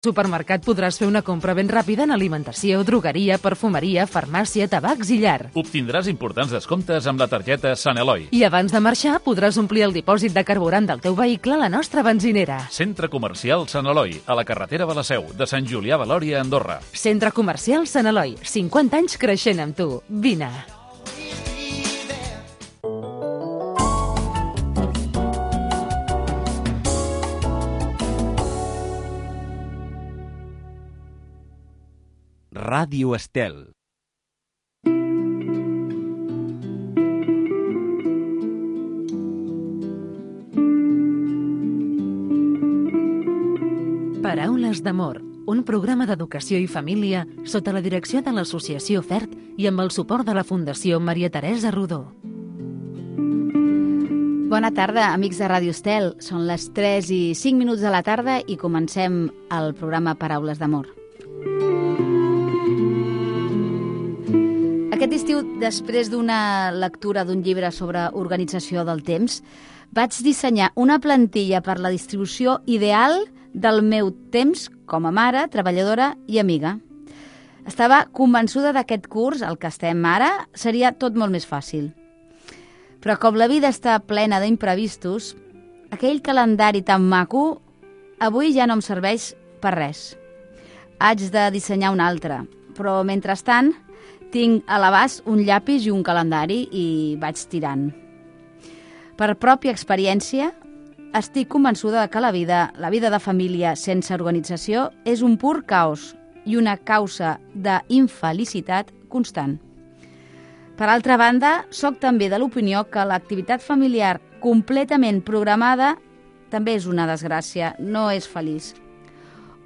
Supermercat podràs fer una compra ben ràpida en alimentació, drogueria, perfumeria, farmàcia, tabacs i llar. Obtindràs importants descomptes amb la targeta Sant Eloi. I abans de marxar podràs omplir el dipòsit de carburant del teu vehicle a la nostra benzinera. Centre Comercial Sant Eloi, a la carretera de la Seu, de Sant Julià Valòria, Andorra. Centre Comercial Sant Eloi, 50 anys creixent amb tu. Vine. Ràdio Estel. Paraules d'amor, un programa d'educació i família sota la direcció de l'Associació FERT i amb el suport de la Fundació Maria Teresa Rodó. Bona tarda, amics de Ràdio Estel. Són les 3:05 de la tarda i comencem el programa Paraules d'amor. Aquest estiu, després d'una lectura d'un llibre sobre organització del temps, vaig dissenyar una plantilla per la distribució ideal del meu temps com a mare, treballadora i amiga. Estava convençuda d'aquest curs, el que estem ara, seria tot molt més fàcil. Però com la vida està plena d'imprevistos, aquell calendari tan maco avui ja no em serveix per res. Haig de dissenyar un altre, però mentrestant tinc a l'abast un llapis i un calendari i vaig tirant. Per pròpia experiència, estic convençuda que la vida de família sense organització és un pur caos i una causa d'infelicitat constant. Per altra banda, soc també de l'opinió que l'activitat familiar completament programada també és una desgràcia, no és feliç.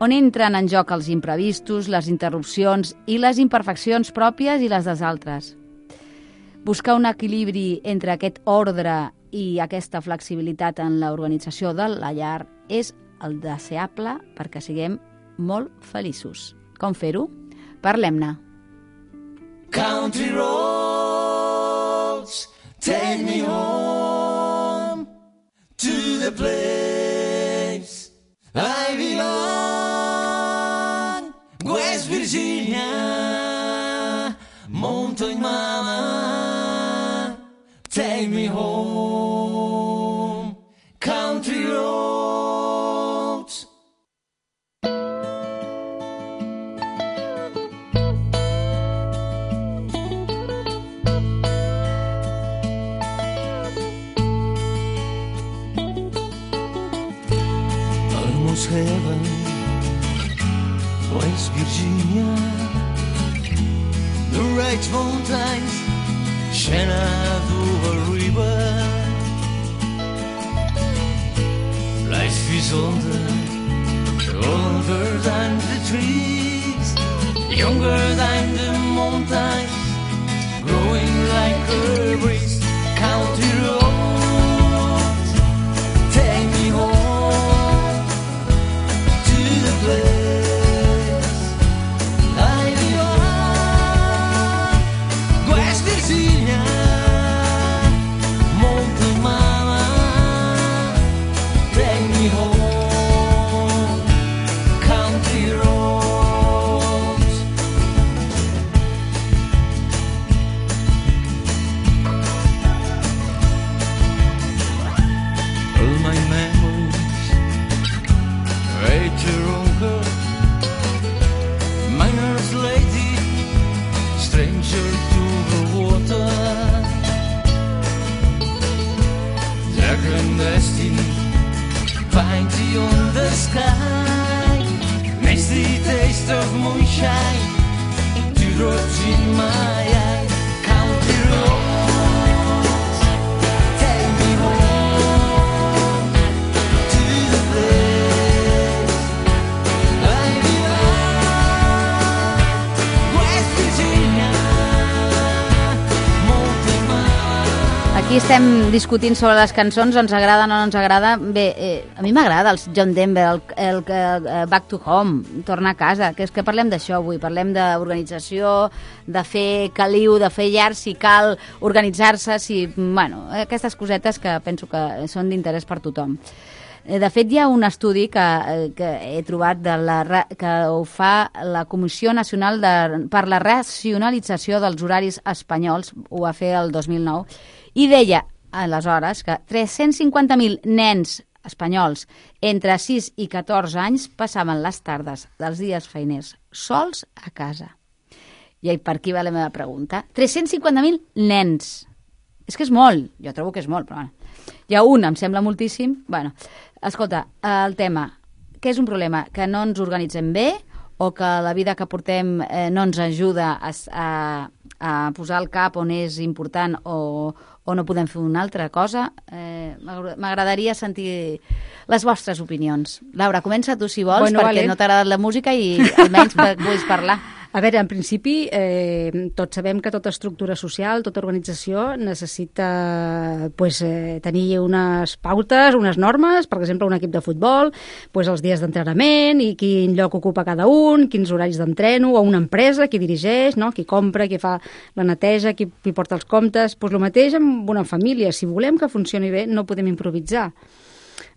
On entren en joc els imprevistos, les interrupcions i les imperfeccions pròpies i les dels altres. Buscar un equilibri entre aquest ordre i aquesta flexibilitat en l'organització de la llar és el deseable perquè siguem molt feliços. Com fer-ho? Parlem-ne. Country roads, take me home to the place I belong. West Virginia, mountain mama, take me home. Country roads. Almost heaven, West Virginia, the right mountains, Shenandoah River. Life is older than the trees, younger than the mountains, growing like a breeze. Country roads, take me home to the place I belong. West Virginia, mountain mama, take me home. Country roads. All my memories, Rachel Ronker, miner's lady, stranger to the water, the clandestine, find on the sky, misty taste of moonshine, teardrops in my eye. Country roads, take me home to the place I belong. West Virginia, mountain mama. Aquí estem discutint sobre les cançons, ens agrada o no ens agrada. Bé, a mi m'agrada el John Denver, el Back to Home, tornar a casa, que és que parlem d'això avui, parlem d'organització, de fer caliu, de fer llar, si cal organitzar-se, si, bueno, aquestes cosetes que penso que són d'interès per tothom. De fet, hi ha un estudi que he trobat que ho fa la Comissió Nacional per la Racionalització dels Horaris Espanyols, ho va fer el 2009, i deia, aleshores, que 350.000 nens espanyols entre 6 i 14 anys passaven les tardes dels dies feiners sols a casa. I per aquí va la meva pregunta. 350.000 nens. És que és molt. Jo trobo que és molt, però bueno. Hi ha un, em sembla moltíssim. Bueno, escolta, el tema, què és un problema? Que no ens organitzem bé o que la vida que portem no ens ajuda a posar el cap on és important o no podem fer una altra cosa? M'agradaria sentir les vostres opinions. Laura, comença tu si vols, perquè no t'ha agradat la música i almenys puguis parlar. A veure, en principi, tots sabem que tota estructura social, tota organització necessita tenir unes pautes, unes normes, per exemple, un equip de futbol, els dies d'entrenament i quin lloc ocupa cada un, quins horaris d'entreno, o una empresa, qui dirigeix, no? Qui compra, qui fa la neteja, qui porta els comptes. El mateix amb una família. Si volem que funcioni bé, no podem improvisar.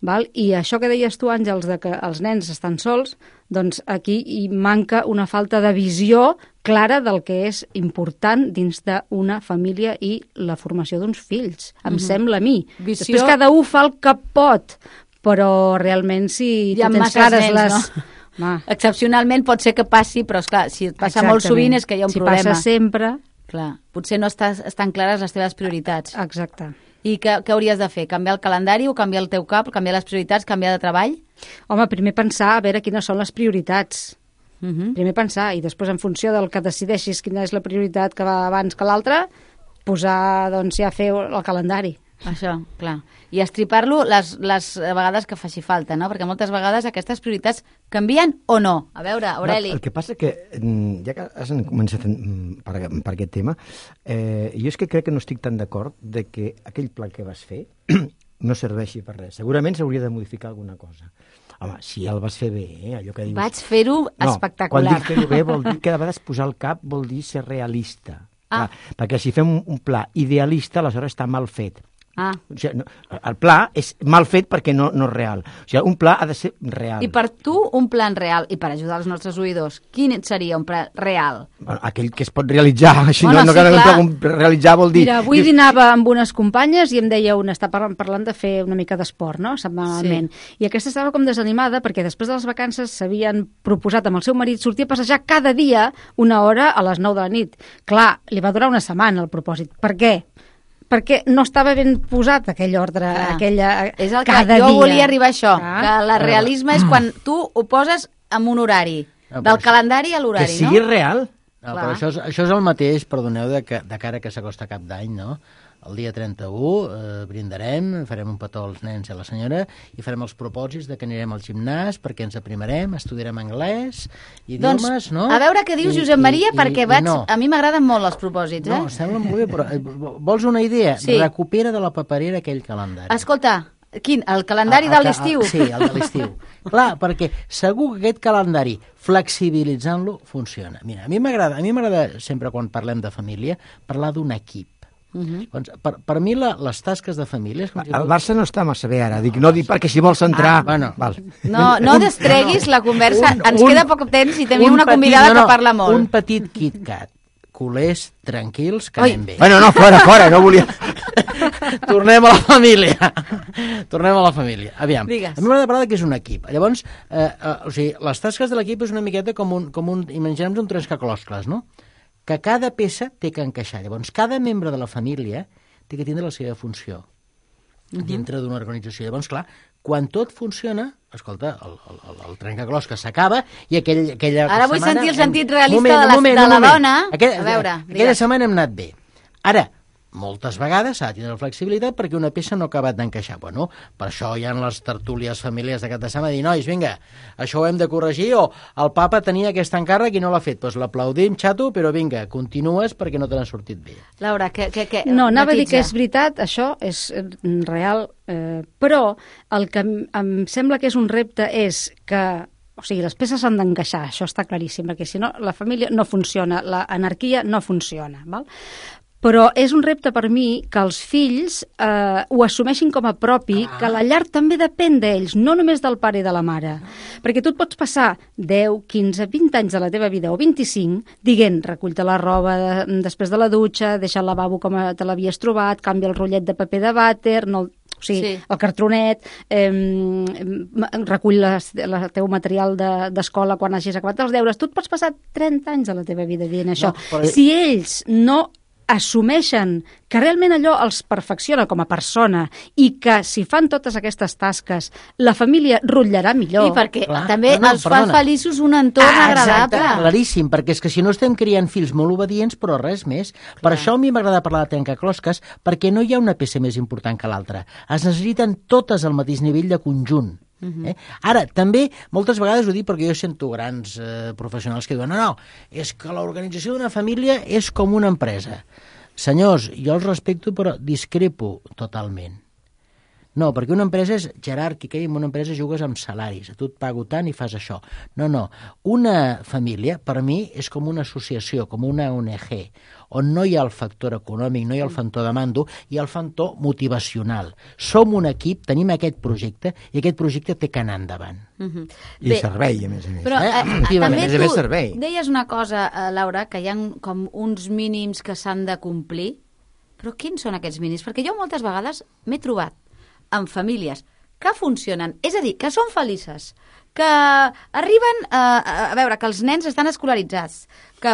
Val? I això que deies tu, Àngels, de que els nens estan sols, doncs aquí hi manca una falta de visió clara del que és important dins d'una família i la formació d'uns fills. Em sembla a mi. Després cada un fa el que pot, però realment si tu tens clares les... No? Excepcionalment pot ser que passi, però esclar, si et passa molt sovint és que hi ha un problema. Si passa sempre... Clar, potser no estan clares les teves prioritats. Exacte. I què hauries de fer? Canviar el calendari o canviar el teu cap, canviar les prioritats, canviar de treball? Home, primer pensar a veure quines són les prioritats. Primer pensar, i després en funció del que decideixis quina és la prioritat que va abans que l'altra, posar, doncs, ja fer el calendari. Això, clar. I estripar-lo les vegades que faci falta, no? Perquè moltes vegades aquestes prioritats canvien o no? A veure, Aureli. El que passa que, ja que has començat per aquest tema, jo és que crec que no estic tan d'acord de que aquell pla que vas fer no serveixi per res. Segurament s'hauria de modificar alguna cosa. Home, si el vas fer bé, allò que dius... Vaig fer-ho espectacular. Quan dic fer-ho bé vol dir que de vegades posar el cap vol dir ser realista. Clar, perquè si fem un pla idealista, aleshores està mal fet. O sigui, el pla és mal fet perquè no és real. O sigui, un pla ha de ser real. I per tu, un plan real, i per ajudar els nostres oïdors, quin seria un pla real? Bueno, aquell que es pot realitzar. Així bueno, realitzar vol dir... Mira, avui dinava amb unes companyes i em deia una, està parlant de fer una mica d'esport, no?, setmanalment. Sí. I aquesta estava com desanimada perquè després de les vacances s'havien proposat amb el seu marit sortir a passejar cada dia una hora a les 9 de la nit. Clar, li va durar una setmana el propòsit. Per què? Perquè no estava ben posat aquell ordre, és el que jo volia arribar a això, que el realisme és quan tu ho poses en un horari, del calendari a l'horari, no? Que sigui real. No, però això és el mateix, perdoneu, de cara que s'acosta cap d'any, no? El dia 31 brindarem, farem un petó als nens i a la senyora i farem els propòsits de que anirem al gimnàs perquè ens aprimarem, estudiarem anglès, idiomes, doncs, no? A veure què dius, Josep Maria, perquè a mi m'agraden molt els propòsits, No, sembla molt bé, però vols una idea? Sí. Recupera de la paperera aquell calendari. Escolta, quin? El calendari de l'estiu? Sí, el de l'estiu. Clar, perquè segur que aquest calendari, flexibilitzant-lo, funciona. Mira, a mi m'agrada sempre, quan parlem de família, parlar d'un equip. Doncs, per mi les tasques de família... El Barça no està massa bé ara, no dic perquè si vols entrar... Bueno. No destreguis la conversa, ens queda poc temps i tenim una convidada que parla molt. Un petit KitKat, culers, tranquils, que anem bé. Bueno, no, fora, no volia... Tornem a la família. Aviam, Digues. a mi m'agrada parlar que és un equip. Llavors, o sigui, les tasques de l'equip és una miqueta com un imaginem un trencaclosques, no? Que cada peça té que encaixar. Llavors, cada membre de la família té que tindre la seva funció dintre d'una organització. Llavors, clar, quan tot funciona, escolta, el trencaclosques s'acaba i aquella Ara vull setmana... sentir el sentit realista de la dona. A veure, aquella setmana hem anat bé. Ara, moltes vegades s'ha de tindre flexibilitat perquè una peça no ha acabat d'encaixar. Bueno, per això hi ha les tertúlies familiars de cada setmana dir, nois, vinga, això ho hem de corregir, o el papa tenia aquest encàrrec i no l'ha fet. Doncs l'aplaudim, xato, però vinga, continues perquè no te n'ha sortit bé. Laura, què? No, anava a dir que és veritat, això és real, però el que em sembla que és un repte és que o sigui, les peces s'han d'encaixar, això està claríssim, perquè si no la família no funciona, l'anarquia no funciona, val? Però és un repte per mi que els fills ho assumeixin com a propi, que la llar també depèn d'ells, no només del pare i de la mare. Perquè tu et pots passar 10, 15, 20 anys de la teva vida, o 25, dient, recull-te la roba després de la dutxa, deixa el lavabo com te l'havies trobat, canvia el rotllet de paper de vàter, o sigui, el cartronet, recull el teu material d'escola quan hagis acabat els deures. Tu et pots passar 30 anys de la teva vida dient això. Si ells no assumeixen que realment allò els perfecciona com a persona i que si fan totes aquestes tasques la família rutllarà millor. I perquè també els fa feliços un entorn agradable. Exacte, claríssim, perquè és que si no estem criant fills molt obedients, però res més. Per això a mi m'agrada parlar de trencaclosques, perquè no hi ha una peça més important que l'altra. Es necessiten totes al mateix nivell de conjunt. Ara, també, moltes vegades ho dic perquè jo sento grans professionals que diuen no, és que l'organització d'una família és com una empresa. Senyors, jo els respecto però discrepo totalment. No, perquè una empresa és jeràrquica i en una empresa jugues amb salaris. A tu et pago tant i fas això. No. Una família, per mi, és com una associació, com una ONG, on no hi ha el factor econòmic, no hi ha el factor de mando, hi ha el factor motivacional. Som un equip, tenim aquest projecte, i aquest projecte té que anar endavant. I servei, a més a més. Però també tu servei. deies una cosa, Laura, que hi ha com uns mínims que s'han de complir. Però quins són aquests mínims? Perquè jo moltes vegades m'he trobat amb famílies que funcionen, és a dir, que són felices, que arriben a veure que els nens estan escolaritzats, que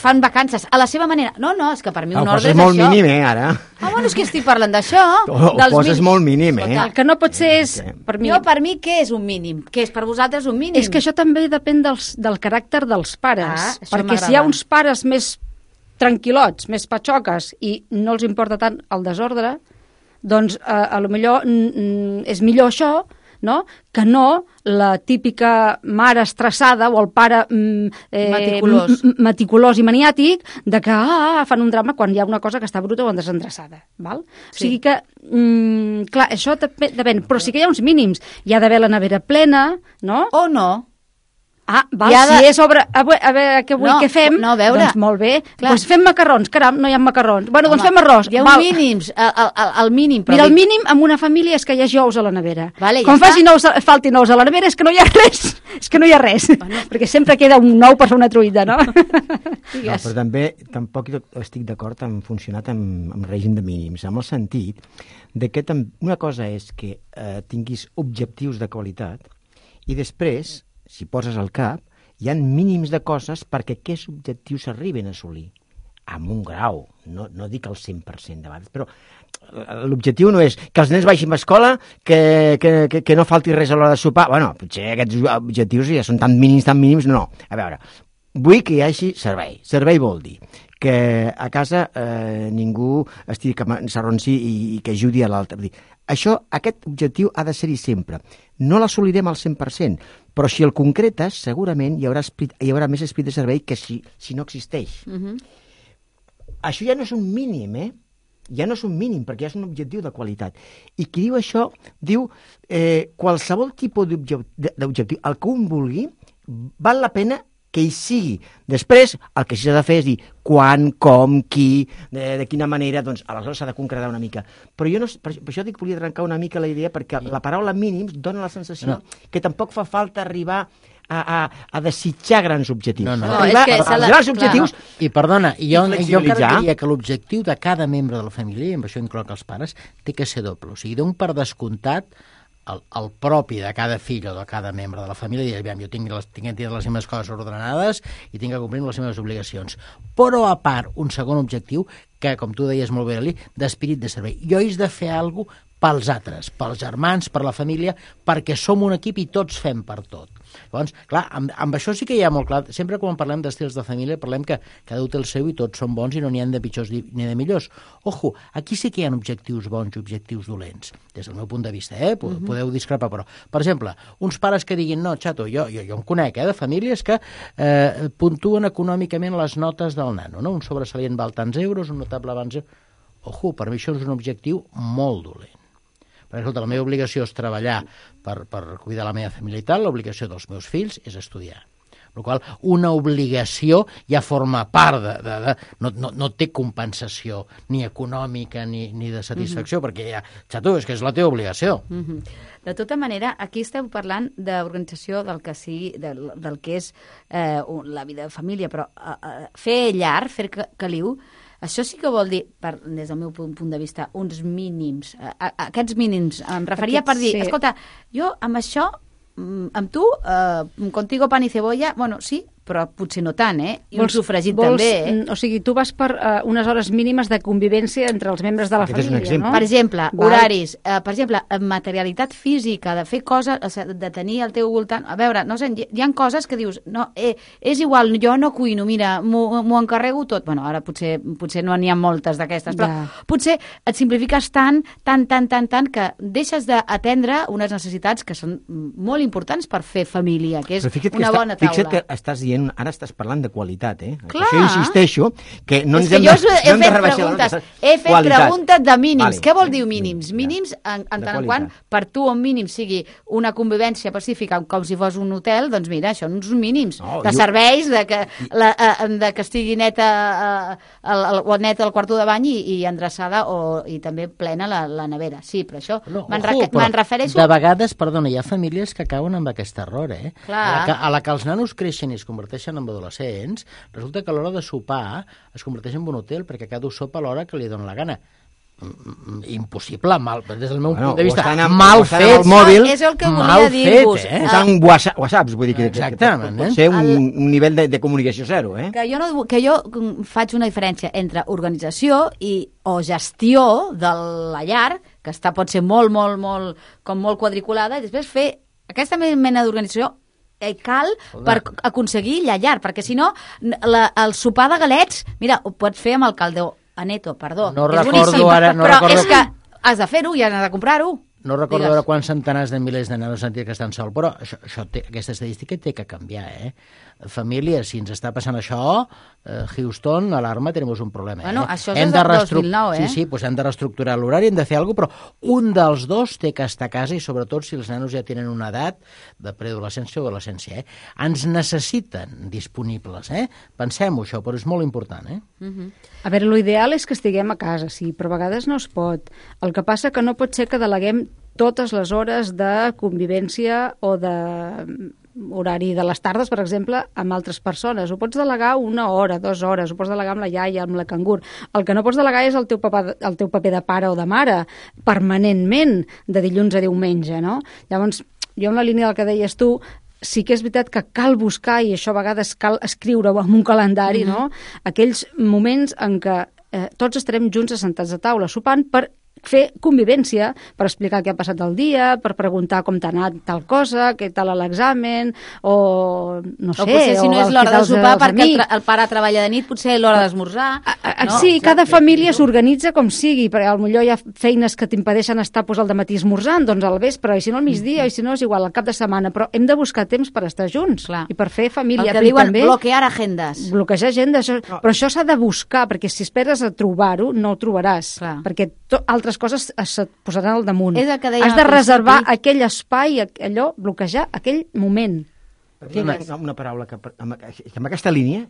fan vacances a la seva manera. No, és que per mi un ordre és això. Ho poses molt mínim, ara. Bueno, és que estic parlant d'això. Ho poses molt mínim, El que no pot ser és... Per mi, què és un mínim? Què és per vosaltres un mínim? És que això també depèn del caràcter dels pares. Perquè si hi ha uns pares més tranquil·lots, més patxoques, i no els importa tant el desordre, doncs a lo millor és millor això, no?, que no la típica mare estressada o el pare meticulós i maniàtic de que fan un drama quan hi ha una cosa que està bruta o desendreçada. Val? Sí. O sigui que, clar, això depèn, però sí que hi ha uns mínims. Hi ha d'haver la nevera plena, no? O no. Si és sobre... A veure, què fem? No, a veure. Doncs molt bé. Doncs fem macarrons. Caram, no hi ha macarrons. Bueno, doncs fem arròs. Hi ha un mínims, el mínim. Mira, el mínim en una família és que hi hagi ous a la nevera. Vale, quan faltin ous a la nevera és que no hi ha res. És que no hi ha res. Bueno. Perquè sempre queda un ou per fer una truita, no? Però també tampoc estic d'acord en funcionar amb règim de mínims, amb el sentit de que una cosa és que tinguis objectius de qualitat i després, si poses al cap, hi ha mínims de coses perquè aquests objectius s'arriben a assolir. Amb un grau, no dic el 100% de vegades, però l'objectiu no és que els nens vagin a escola, que no falti res a l'hora de sopar. Bueno, potser aquests objectius ja són tan mínims, no. A veure, vull que hi hagi servei. Servei vol dir que a casa ningú estigui que s'arronsi i que ajudi a l'altre. Aquest objectiu ha de ser-hi sempre. No l'assolirem al 100%, però si el concretes, segurament hi haurà més esprit de servei que si no existeix. Això ja no és un mínim, ja no és un mínim, perquè ja és un objectiu de qualitat. I qui diu això, diu qualsevol tipus d'objectiu, el que un vulgui, val la pena que hi sigui. Després, el que s'ha de fer és dir quan, com, qui, de quina manera, doncs aleshores s'ha de concretar una mica. Però per això dic que volia trencar una mica la idea, perquè la paraula mínims dona la sensació que tampoc fa falta arribar a desitjar grans objectius. Arribar a grans objectius... I perdona, jo encara diria que l'objectiu de cada membre de la família, i amb això incloc els pares, té que ser doble. O sigui, d'un per descomptat, el propi de cada fill o de cada membre de la família dir, jo tinc que tenir les meves coses ordenades i tinc que complir les meves obligacions. Però a part, un segon objectiu que, com tu deies molt bé, Eli, d'espírit de servei. Jo he de fer alguna cosa pels altres, pels germans, per la família, perquè som un equip i tots fem per tot. Llavors, clar, amb això sí que hi ha molt clar. Sempre quan parlem d'estils de família parlem que cada un té el seu i tots són bons i no n'hi ha de pitjors ni de millors. Ojo, aquí sí que hi ha objectius bons i objectius dolents, des del meu punt de vista, podeu discrepar, però, per exemple, uns pares que diguin, no, xato, jo em conec, de famílies que puntuen econòmicament les notes del nano, no? Un sobresalient val tants euros, un notable abans... Ojo, per mi això és un objectiu molt dolent. Perquè, escolta, la meva obligació és treballar per cuidar la meva família i tal, l'obligació dels meus fills és estudiar. Per la qual una obligació ja forma part no té compensació ni econòmica ni de satisfacció, perquè ja, xato, és que és la teva obligació. De tota manera, aquí esteu parlant d'organització del que sigui, del que és la vida de família, però fer llar, fer caliu, això sí que vol dir, des del meu punt de vista, uns mínims. Aquests mínims em referia per dir, escolta, jo amb això, amb tu, contigo pan y cebolla, bueno, sí, però potser no tant, I un sofregit també, O sigui, tu vas per unes hores mínimes de convivència entre els membres de la família, no? Per exemple, horaris, per exemple, materialitat física, de fer coses, de tenir al teu voltant... A veure, no sé, hi ha coses que dius, no, és igual, jo no cuino, mira, m'ho encarrego tot. Bueno, ara potser no n'hi ha moltes d'aquestes, però potser et simplifiques tant, que deixes d'atendre unes necessitats que són molt importants per fer família, que és una bona taula. Fixa't que estàs dient, ara estàs parlant de qualitat, Clar. Això insisteixo, que no ens és que hem jo de rebaixar. He fet preguntes de mínims. Vale. Què vol dir mínims? Mínims, en tant quant per tu un mínim sigui una convivència pacífica com si fos un hotel, doncs mira, això són uns mínims de serveis, de que estigui neta el quarto de bany i endreçada i també plena la nevera. Sí, però això me'n refereixo... De vegades, perdona, hi ha famílies que cauen amb aquest error, A la que els nanos creixen i es converteixen en adolescents, resulta que a l'hora de sopar es converteix en un hotel perquè cada un sopa a l'hora que li dona la gana. Impossible, des del meu punt de vista, mal fet. Mòbil, és el que volia dir-vos. Usant whatsapps, vull dir que pot ser un nivell de comunicació zero. Que jo faig una diferència entre organització o gestió de la llar, que pot ser molt quadriculada, i després fer aquesta mena d'organització cal per aconseguir la llar, perquè si no, el sopar de galets, mira, ho pots fer amb el caldó Aneto, perdó. No recordo ara... És que has de fer-ho i has de comprar-ho. No recordo ara quants centenars de milers de nanos sentir que estan sols, però aquesta estadística té que canviar, Famílies, si ens està passant això, Houston, alarma, tenim un problema. Bueno, això és del 2009, Sí, doncs hem de reestructurar l'horari, hem de fer alguna cosa, però un dels dos té que estar a casa i sobretot si els nanos ja tenen una edat de preadolescència o adolescència, Ens necessiten disponibles, Pensem-ho, això, però és molt important, A veure, l'ideal és que estiguem a casa, sí, però a vegades no es pot. El que passa que no pot ser que deleguem totes les hores de convivència o de horari de les tardes, per exemple, amb altres persones. Ho pots delegar 1 hora, 2 hores, ho pots delegar amb la iaia, amb la cangur. El que no pots delegar és el teu paper de pare o de mare, permanentment, de dilluns a diumenge, no? Llavors, jo en la línia del que deies tu, sí que és veritat que cal buscar, i això a vegades cal escriure-ho en un calendari, no? Aquells moments en què tots estarem junts assentats a taula, sopant per fer convivència, per explicar què ha passat el dia, per preguntar com t'ha anat tal cosa, què tal l'examen, o no sé... O potser si no és l'hora de sopar perquè el pare treballa de nit, potser l'hora d'esmorzar... Sí, cada família s'organitza com sigui, perquè potser hi ha feines que t'impedeixen estar al dematí esmorzant, doncs al vespre, i si no al migdia, i si no és igual, al cap de setmana, però hem de buscar temps per estar junts i per fer família. El que diuen bloquear agendes. Bloquejar agendes, però això s'ha de buscar, perquè si esperes a trobar-ho, no ho trobaràs, perquè altres coses es posaran al damunt. Has de reservar aquell espai, bloquejar aquell moment. Una paraula que amb aquesta línia,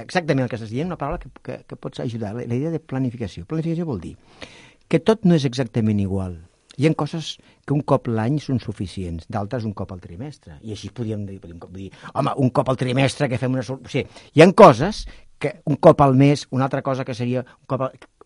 exactament el que estàs dient, una paraula que pots ajudar, la idea de planificació. Planificació vol dir que tot no és exactament igual. Hi ha coses que un cop l'any són suficients, d'altres un cop al trimestre. I així podríem dir, home, un cop al trimestre que fem una... O sigui, hi ha coses que un cop al mes, una altra cosa que seria...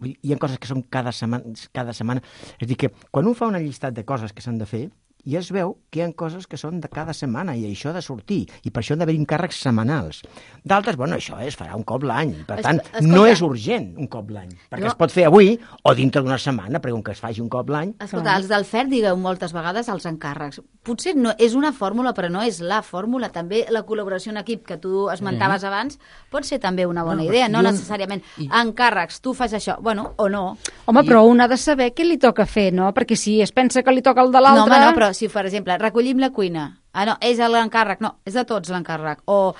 Hi ha coses que són cada setmana. És a dir, que quan un fa una llistat de coses que s'han de fer, i es veu que hi ha coses que són de cada setmana i això ha de sortir, i per això han d'haver encàrrecs setmanals. D'altres, bueno, això es farà un cop l'any, per tant, no és urgent un cop l'any, perquè es pot fer avui o dintre d'una setmana, però com que es faci un cop l'any... Escolta, els del FER digueu moltes vegades els encàrrecs. Potser no és una fórmula, però no és la fórmula. També la col·laboració en equip que tu esmentaves abans pot ser també una bona idea, no necessàriament encàrrecs, tu fas això, bueno, o no. Home, però un ha de saber què li toca fer, no? Perquè si es pensa que li toca el de l'altre... No, home, no, però si, per exemple, recollim la cuina, no, és l'encàrrec, no, és de tots l'encàrrec, o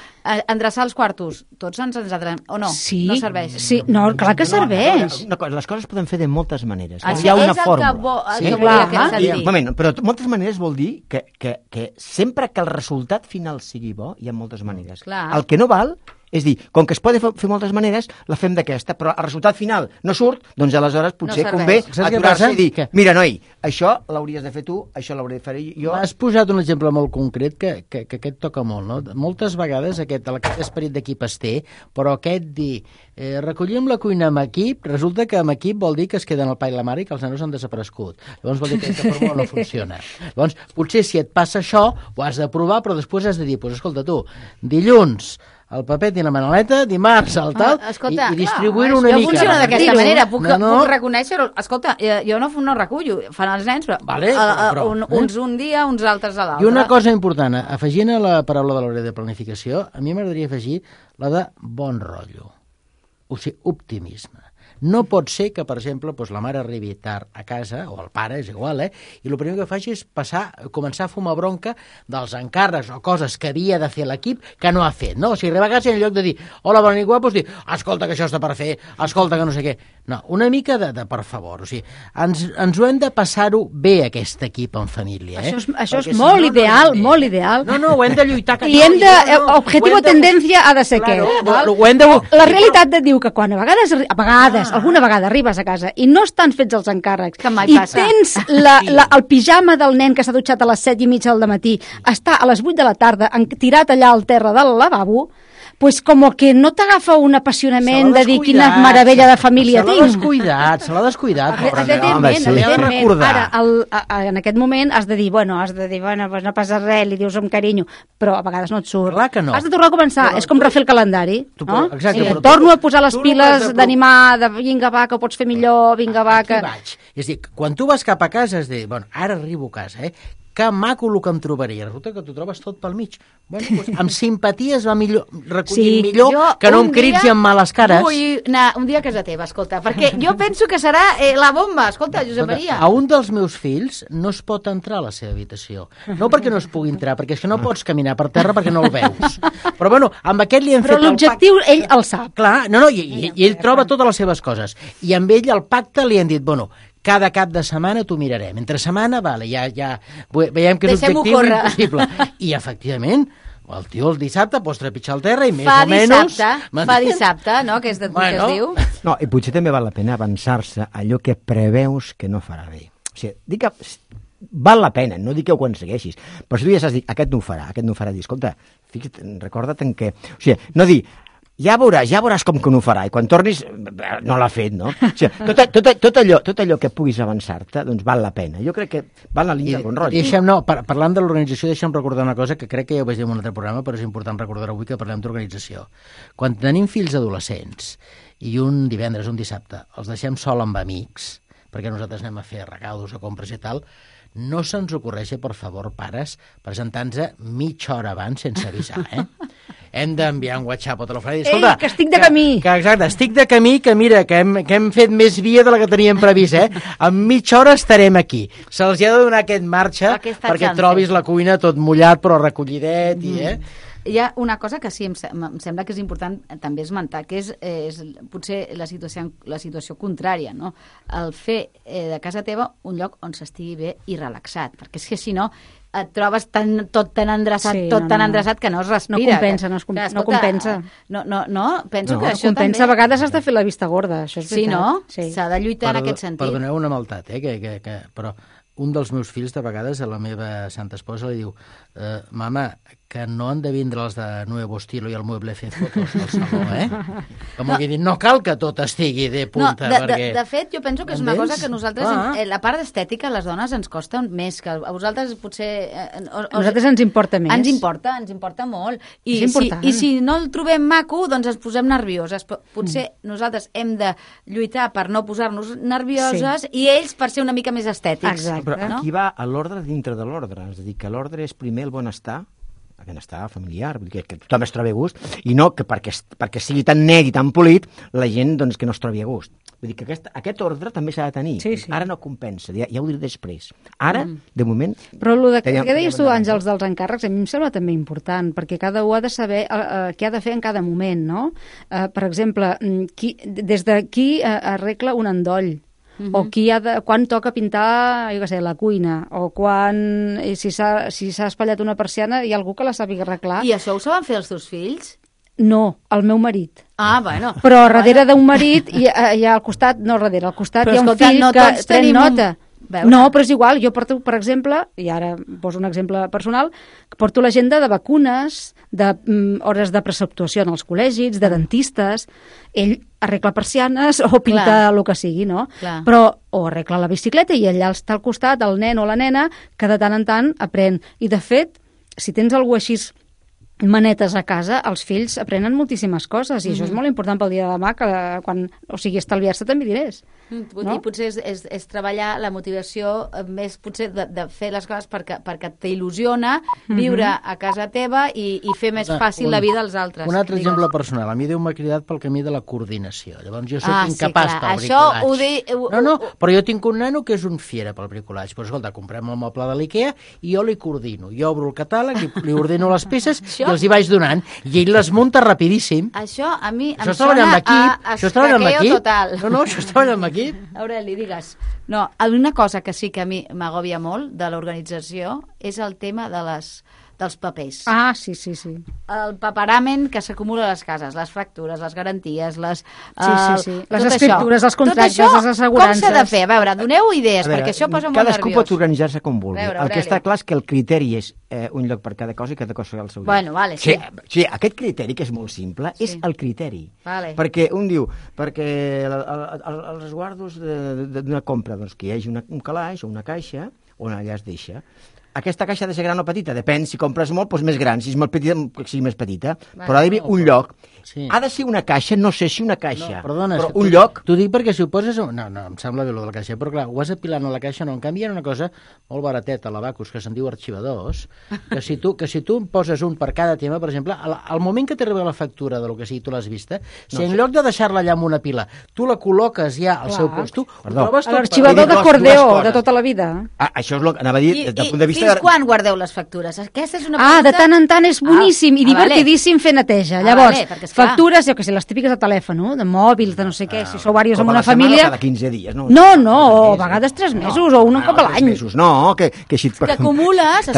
endreçar els quartos, tots ens endrecem, o no? Sí, no serveix? Sí, no, clar que serveix. Les coses es poden fer de moltes maneres. Això Hi ha una és el fórmula. que volia que clar. sentir. Un moment, però moltes maneres vol dir que sempre que el resultat final sigui bo, hi ha moltes maneres. Clar. El que no val és dir, com que es pot fer moltes maneres, la fem d'aquesta, però el resultat final no surt, doncs aleshores potser No convé serveix. Saps què aturar-se passa? i dir, Que- mira, noi, això l'hauries de fer tu, això l'hauré de fer jo. Has posat un exemple molt concret que aquest toca molt, no? Moltes vegades aquest esperit d'equip es té, però aquest dir recollim la cuina amb equip, resulta que amb equip vol dir que es queden el pa i la mare i que els nanos han desaparegut. Llavors vol dir que aquesta fórmula no funciona. Llavors, potser si et passa això, ho has de provar, però després has de dir, doncs escolta tu, dilluns el papet i la manoleta, dimarts el tal, Escolta, i distribuir-ho una jo mica. funciona d'aquesta manera, puc reconèixer. reconèixer-ho. Escolta, jo no recullo, fan els nens, però, Vale, però, uns un dia, uns altres a l'altre. I una cosa important, afegint a la paraula de l'hora de planificació, a mi m'agradaria afegir la de bon rotllo, o sigui, optimisme. No pot ser que, per exemple, doncs, la mare arribi tard a casa, o el pare, és igual, i el primer que faci és començar a fumar bronca dels encàrrecs o coses que havia de fer l'equip que no ha fet, no? O sigui, arriba a casa i en lloc de dir hola, bona nit, guapos, dir escolta, que això està per fer, escolta, que no sé què. No, una mica de per favor, o sigui, ens ho hem de passar-ho bé, aquest equip en família, Això és molt ideal, molt ideal. No, ho hem de lluitar. I hem de... Objectiu o tendència ha de ser què? Ho hem de... La realitat et diu que quan a vegades, alguna vegada arribes a casa i no estan fets els encàrrecs Que mai i passa. tens el pijama del nen que s'ha dutxat a les 7:30 del matí, està a les 8 de la tarda tirat allà al terra del lavabo, pues com que no t'agafa un apassionament de dir quina meravella de família tinc. Se l'ha descuidat, pobre nen. Home, sí. Evidentment. Ara, en aquest moment has de dir, bueno, pues no passa res, li dius amb carinyo, però a vegades no et surt. Clar que no. Has de tornar a començar, és com refer el calendari, no? Exacte, però Torno a posar les tu no piles has de d'animar, de vinga va, que ho pots fer millor, vinga va, Aquí que... vaig. És a dir, quan tu vas cap a casa, és dir, bueno, ara arribo a casa, que maco el que em trobaria. Resulta que t'ho trobes tot pel mig. Bueno, doncs, amb simpatia es va recollir millor que no amb crits i amb males cares. Vull anar un dia a casa teva, escolta, perquè jo penso que serà la bomba. Escolta, Josep Maria. A un dels meus fills no es pot entrar a la seva habitació. No perquè no es pugui entrar, perquè és que no pots caminar per terra perquè no el veus. Però bueno, amb aquest li hem Però fet el l'objectiu ell el sap. Clar, i ell troba totes les seves coses. I amb ell el pacte li han dit, bueno, cada cap de setmana t'ho mirarem. Entre setmana, vale, ja veiem que és Deixem-ho objectiu córrer. impossible. I, efectivament, el tio el dissabte pots trepitjar el terra i més Fa o menys... dissabte, no?, que es diu. No, i potser també val la pena avançar-se a allò que preveus que no farà bé. O sigui, dic que val la pena, no dic que ho aconsegueixis, però si tu ja saps dir, aquest no ho farà, dir, escolta, recorda't en què... O sigui, no dir, ja veuràs com que no ho farà, i quan tornis no l'ha fet, no? O sigui, tot allò que puguis avançar-te, doncs val la pena. Jo crec que va en la línia del bon rotllo. Parlant de l'organització, deixa'm recordar una cosa que crec que ja ho vaig dir en un altre programa, però és important recordar avui que parlem d'organització. Quan tenim fills adolescents i un divendres, un dissabte, els deixem sol amb amics, perquè nosaltres anem a fer regalos o compres i tal, no se'ns ocorreixi, per favor, pares, presentar-nos mitja hora abans sense avisar, Hem d'enviar un WhatsApp o telèfon i dir, escolta... Ei, que estic de camí! Exacte, estic de camí, que mira, que hem fet més via de la que teníem previst, En mitja hora estarem aquí. Se'ls ha de donar aquest marge perquè trobis la cuina tot mullat però recollidet Hi ha una cosa que sí, em sembla que és important també esmentar, que és potser la situació contrària, no? El fer de casa teva un lloc on s'estigui bé i relaxat, perquè és que si no et trobes tot tan endreçat que no es respira. No compensa, no compensa. No, penso que això compensa, també... a vegades has de fer la vista gorda, això és veritat. Sí, no? Sí. S'ha de lluitar en aquest sentit. Perdoneu una maltat, però un dels meus fills, de vegades, a la meva santa esposa li diu mama, que no han de vindre els de Nuevo Estilo i el Mueble fer fotos al saló, Com que dir, no cal que tot estigui de punta, perquè... De fet, jo penso que és una cosa que nosaltres, la part estètica, a les dones ens costa més, que a vosaltres potser... A nosaltres ens importa més. Ens importa molt. I si no el trobem maco, doncs ens posem nervioses. Potser nosaltres hem de lluitar per no posar-nos nervioses i ells per ser una mica més estètics. Exacte. Però aquí va a l'ordre dintre de l'ordre, és a dir, que l'ordre és primer el benestar benestar familiar, vull dir que tothom es trobi a gust, i no que perquè sigui tan net i tan polit, la gent doncs, que no es trobi a gust. Vull dir que aquest ordre també s'ha de tenir. Sí. Ara no compensa, ja ho diré després. Ara, de moment... Però què deies tu, Àngels, dels encàrrecs, a mi em sembla també important, perquè cada un ha de saber què ha de fer en cada moment, no? Per exemple, des de qui arregla un endoll, o quan toca pintar, jo què sé, la cuina, o si s'ha espatllat una persiana, hi ha algú que la sàpiga arreglar. I això ho saben fer els teus fills? No, el meu marit. Ah, bueno. Però darrere d'un marit hi ha al costat, no darrere, al costat hi ha un fill que pren nota. No, però és igual, jo porto, per exemple, i ara poso un exemple personal, porto l'agenda de vacunes, hores de preceptuació en els col·legis, de dentistes, ell arregla persianes o pinta el que sigui, no? Clar. Però o arregla la bicicleta i allà està al costat el nen o la nena que de tant en tant aprèn. I de fet, si tens algú així manetes a casa, els fills aprenen moltíssimes coses i això és molt important pel dia de demà, o sigui, estalviar-se també diners. No? I potser és treballar la motivació més potser de fer les coses perquè t'il·lusiona viure a casa teva i fer més fàcil la vida als altres. Un altre exemple personal. A mi Déu m'ha cridat pel camí de la coordinació. Llavors jo soc incapaç pel bricolatge. No, però jo tinc un nano que és un fiera pel bricolatge. Però escolta, comprem el moble de l'Ikea i jo li coordino. Jo obro el catàleg, li ordeno les peces i els hi vaig donant. I ell les munta rapidíssim. Això a mi em sona a escaqueo total. No, això és treballar amb equip. Aureli, digues. No, una cosa que sí que a mi m'agòbia molt de l'organització és el tema dels papers. Ah, sí. El paperament que s'acumula a les cases, les factures, les garanties, les escriptures, els contractes, les assegurances. Com s'ha de fer? A veure, doneu idees, perquè això posa molt nerviós. Cadascú pot organitzar-se com vulgui. El que està clar és que el criteri és un lloc per cada cosa i cada cosa al seu lloc. Bueno, vale, sí. Sí, aquest criteri, que és molt simple, és el criteri. Vale. Perquè un diu, perquè els resguardos d'una compra, doncs que hi hagi un calaix o una caixa on allà es deixa. Aquesta caixa ha de ser gran o petita? Depèn, si compres molt, doncs més gran, si és molt petita, que sigui més petita. Però ha d'haver un lloc. Sí. Ha de ser una caixa, no sé si una caixa, però un lloc... T'ho dic perquè si ho poses... No, em sembla bé, lo de la caixa, però clar, ho vas apilant a la caixa, no, en canvi hi ha una cosa molt barateta a l'Abacus, que se'n diu arxivadors, que si tu en poses un per cada tema, per exemple, al moment que t'arriba la factura de lo que sigui, tu l'has vista, si en lloc de deixar-la allà en una pila, tu la col·loques ja al seu post, tu ho trobes tot... L'arxivador d'acordeo de tota la vida. Això és el que anava a dir, des del punt de vista... Fins quan guardeu les factures? Aquesta és una pregunta... de tant en tant és boníssim i divertidíssim fer neteja. Llavors, factures, jo que sé, les típiques de telèfon, de mòbils, de no sé què, si sou diversos en una família... Cada 15 dies, no? No, o a vegades 3 mesos, o un cop a l'any. No, que si... T'acumules,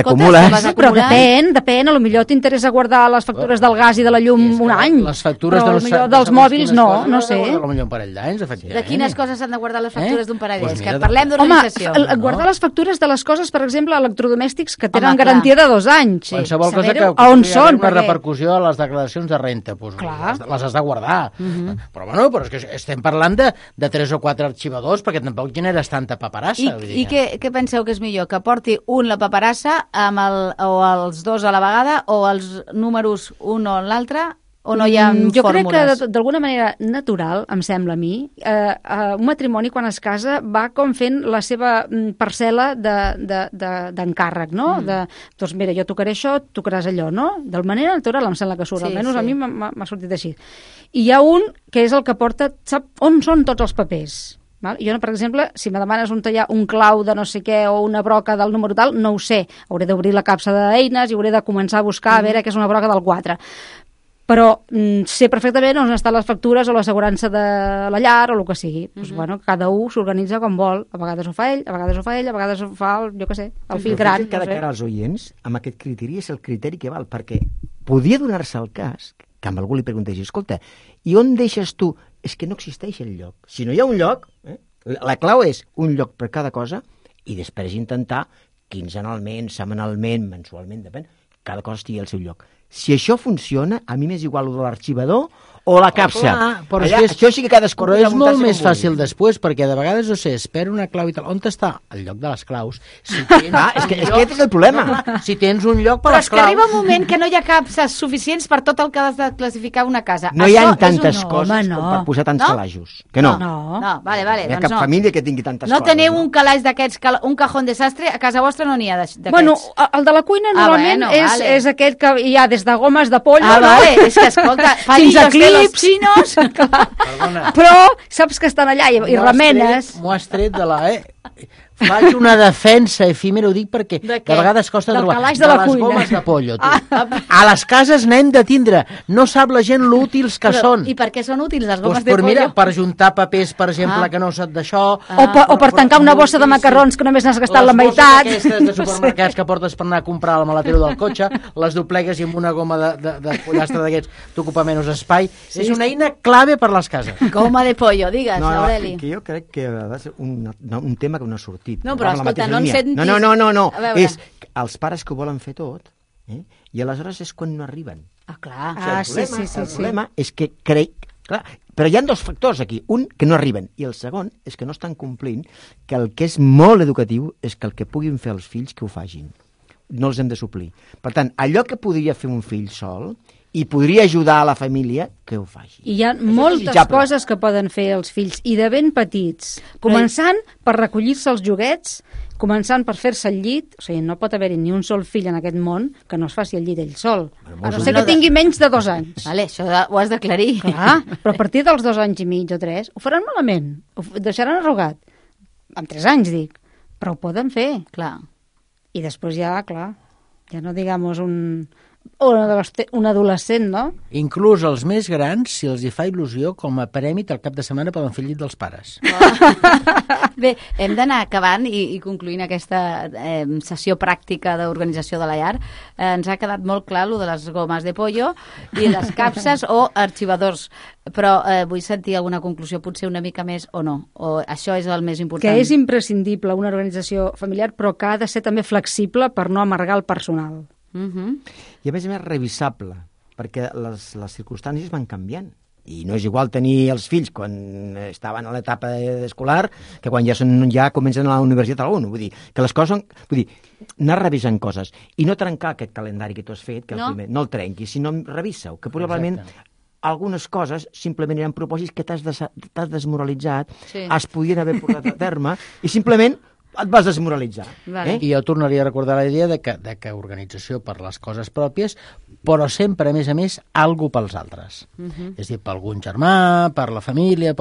però depèn, potser t'interessa guardar les factures del gas i de la llum un any. Les factures dels mòbils no sé. Potser un parell d'anys, efectivament. De quines coses s'han de guardar les factures d'un parell d'anys? Que parlem d'organització. Home, guardar les factures de les coses, per exemple, electrodomèstics que tenen garantia de 2 anys. Qualsevol cosa que on són, una repercussió a les declaracions de renta, les has de guardar. Però bueno, és que estem parlant de 3 o 4 arxivadors perquè tampoc generes tanta paperassa. I què penseu que és millor? Que porti un la paperassa o els 2 a la vegada o els números un o l'altre? O no hi ha fórmules? Jo crec que d'alguna manera natural, em sembla a mi, un matrimoni quan es casa va com fent la seva parcel·la d'encàrrec, no? Doncs mira, jo tocaré això, tocaràs allò, no? De manera natural em sembla que surt, almenys a mi m'ha sortit així. I hi ha un que és el que porta, sap on són tots els papers. Jo, per exemple, si me demanes on hi ha un clau de no sé què o una broca del número tal, no ho sé. Hauré d'obrir la capsa d'eines i hauré de començar a buscar a veure què és una broca del 4. Però sé perfectament on estan les factures o l'assegurança de la llar o el que sigui. Cada un s'organitza com vol. A vegades ho fa ell, a vegades ho fa ell, a vegades ho fa el fill gran. Cada cara als oients, amb aquest criteri és el criteri que val, perquè podia donar-se el cas que amb algú li pregunteixi, escolta, i on deixes tu? És que no existeix el lloc. Si no hi ha un lloc, la clau és un lloc per cada cosa i després intentar quinzenalment, setmanalment, mensualment, depèn, cada cosa estigui al seu lloc. Si això funciona, a mi m'és igual de l'arxivador o la capsa. Però Allà, això sí que cadascú... Però és molt més fàcil després, perquè de vegades, no sé, espera una clau i tal. On està el lloc de les claus? Si tens és que aquest és el problema. Si tens un lloc per Però les és que claus... arriba un moment que no hi ha capses suficients per tot el que has de classificar una casa. No hi ha Això és tantes un... coses no. com per posar tants No? calajos. Que no. No, vale, No hi ha doncs cap no. família que tingui tantes No coses. teniu un calaix d'aquests, un cajón desastre, a casa vostra no n'hi ha d'aquests. Bueno, el de la cuina normalment vale. és aquest que hi ha des de gomes de pollo, Vale, és que escolta, fins a palillos de los clips. chinos. Perdona. Però saps que estan allà i remenes. M'ho has tret de la... Faig una defensa efímera, ho dic perquè De de vegades costa Del trobar. calaix de la les cuina. gomes de pollo, tu. A les cases n'hem de tindre. No sap la gent l'útils que són. I per què són útils les Doncs gomes de per, pollo? mira, per juntar papers, per exemple, que no sap d'això... O per tancar una bossa de macarrons que només n'has gastat la meitat. Les bosses aquestes de supermercats que portes per anar a comprar al maletero del cotxe, les doblegues i amb una goma de pollastre d'aquests t'ocupa menys espai. Sí, és una eina clave per les cases. Goma de pollo, digues, No, Aureli. que jo crec que ha de ser un tema que no ha sortit. No, però Va amb la escolta, mateixa no en línia. sentis- No. A veure. És els pares que ho volen fer tot, i aleshores és quan no arriben. Ah, clar. El problema és que crec... Clar, però hi ha dos factors aquí. Un, que no arriben. I el segon és que no estan complint que el que és molt educatiu és que el que puguin fer els fills que ho facin. No els hem de suplir. Per tant, allò que podria fer un fill sol i podria ajudar a la família, que ho faci. I hi ha Això és moltes desitjable. coses que poden fer els fills, i de ben petits. Començant per recollir-se els joguets, començant per fer-se el llit, o sigui, no pot haver-hi ni un sol fill en aquest món que no es faci el llit ell sol. A no ser que tingui menys de 2 anys. Vale, això ho has d'aclarir. Clar, però a partir dels 2 anys i mig o 3 ho faran malament, ho deixaran arrugat. Amb 3 anys, dic. Però ho poden fer. Clar. I després ja, clar, ja no digamos un adolescent, no? Inclús els més grans, si els hi fa il·lusió, com a prèmit al cap de setmana poden fer el llit dels pares. Bé, hem d'anar acabant i concluint aquesta sessió pràctica d'organització de la llar. Ens ha quedat molt clar lo de les gomes de pollo i les capses o arxivadors, però vull sentir alguna conclusió, potser una mica més o no, o això és el més important. Que és imprescindible una organització familiar, però que ha de ser també flexible per no amargar el personal. I a més revisable, perquè les circumstàncies van canviant. I no és igual tenir els fills quan estaven a l'etapa escolar que quan ja comencen a la universitat alguna. Vull dir, que les coses són... Vull dir, anar revisant coses i no trencar aquest calendari que tu has fet, que no el trenquis, sinó revisa-ho, que probablement... Exacte. Algunes coses simplement eren propòsits que t'has desmoralitzat, es podien haver portat a terme, i simplement et vas desmoralitzar. Vale. I jo tornaria a recordar la idea de que organització per les coses pròpies, però sempre, a més, algo pels altres. És a dir, per algun germà, per la família,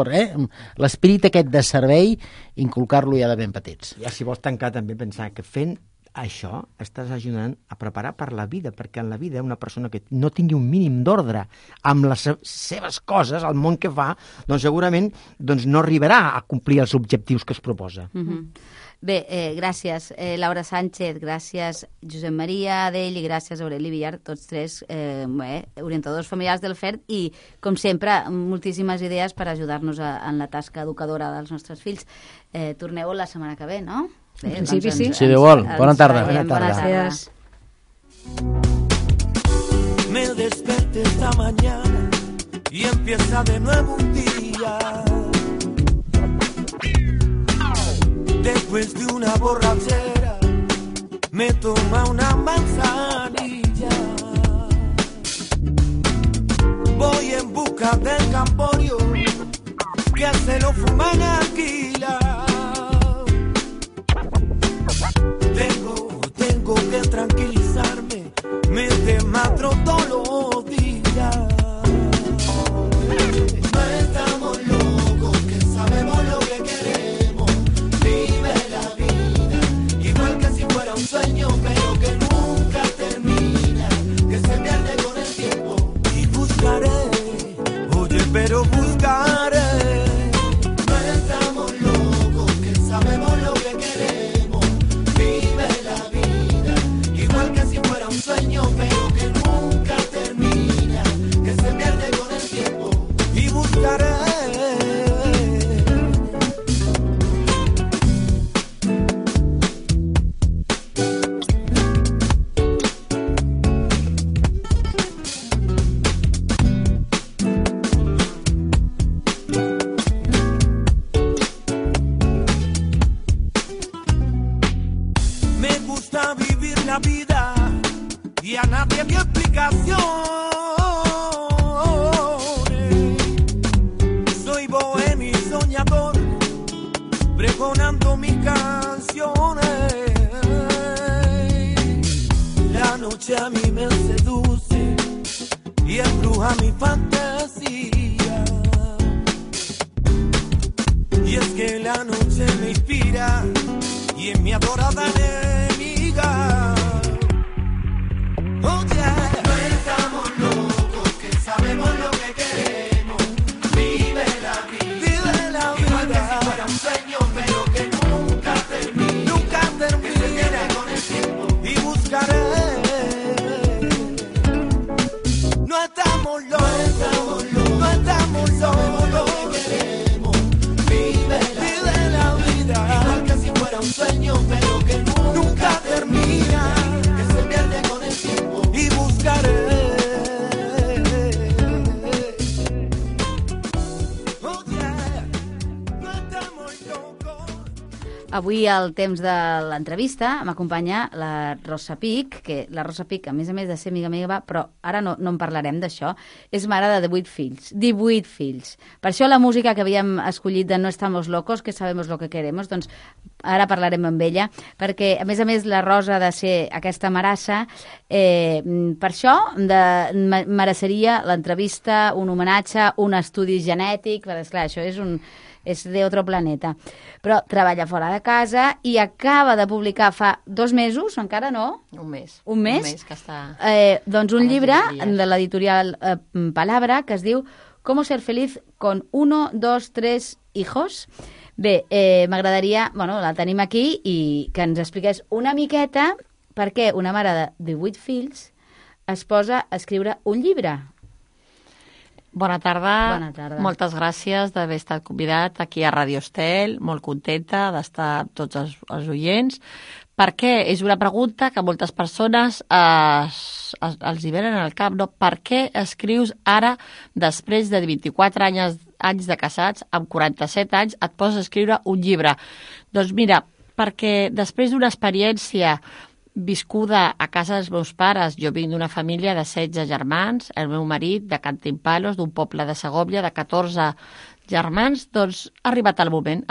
l'esperit aquest de servei, inculcar-lo ja de ben petits. Ja, si vols tancar, també pensar que fent això estàs ajudant a preparar per la vida, perquè en la vida una persona que no tingui un mínim d'ordre amb les seves coses, el món que fa, doncs segurament no arribarà a complir els objectius que es proposa. Bé, gràcies Laura Sánchez, gràcies Josep Maria Adell i gràcies Aureli Villar, tots tres orientadors familiars del FERT i, com sempre, moltíssimes idees per ajudar-nos en la tasca educadora dels nostres fills. Torneu la setmana que ve, no? Bé, En principi sí. Si Déu vol. Bona tarda. Bona tarda. Gràcies. Me desperté esta mañana y empieza de nuevo un día. Después de una borrachera me toma una manzanilla. Voy en busca del camporio que se lo fuman alquila. Tengo que tranquilizarme, me desmatro todos los días. No estamos locos, que sabemos lo que queremos. Vive la vida, igual que si fuera un sueño, pero que nunca termina, que se pierde con el tiempo. Y buscaré, oye, pero buscaré. No estamos locos. dibuja mi fantasía. Y es que la noche me inspira y es mi adorada enemiga. Oh yeah. No estamos locos, que sabemos lo que queremos. Vive la vida, vive la vida. Igual que si fuera un sueño, pero que nunca termina. Nunca termina. Que se pierde con el tiempo y buscaré. No estamos locos, no estamos locos. Vive la vida, igual que si fuera un sueño, pero que nunca termina, que se pierde con el tiempo y buscaré. Oh yeah, no estamos locos. Avui al temps de l'entrevista m'acompanya la Rosa Pic, que la Rosa Pic, a més de ser amiga meva, però ara no en parlarem d'això, és mare de 18 fills. 18 fills. Per això la música que havíem escollit de No estamos locos, que sabemos lo que queremos, doncs ara parlarem amb ella, perquè a més la Rosa ha de ser aquesta marassa, per això mereixeria l'entrevista, un homenatge, un estudi genètic, perquè esclar, això és d'altre planeta. Però treballa fora de casa i acaba de publicar fa 2 mesos, encara no? Un mes. Un mes? Un mes que està... Doncs un llibre de l'editorial Palabra que es diu Cómo ser feliz con 1, 2, 3 hijos. Bé, m'agradaria, la tenim aquí i que ens expliqués una miqueta per què una mare de 18 fills es posa a escriure un llibre. Bona tarda. Bona tarda. Moltes gràcies d'haver estat convidat aquí a Radio Estel. Molt contenta d'estar amb tots els oients. Perquè és una pregunta que moltes persones els hi venen al cap, no? Per què escrius ara, després de 24 anys de casats, amb 47 anys, et poses a escriure un llibre? Doncs mira, perquè després d'una experiència viscuda a casa dels meus pares, jo vinc d'una família de 16 germans, el meu marit de Cantimpalos, d'un poble de Segòvia, de 14 germans, doncs ha arribat el moment,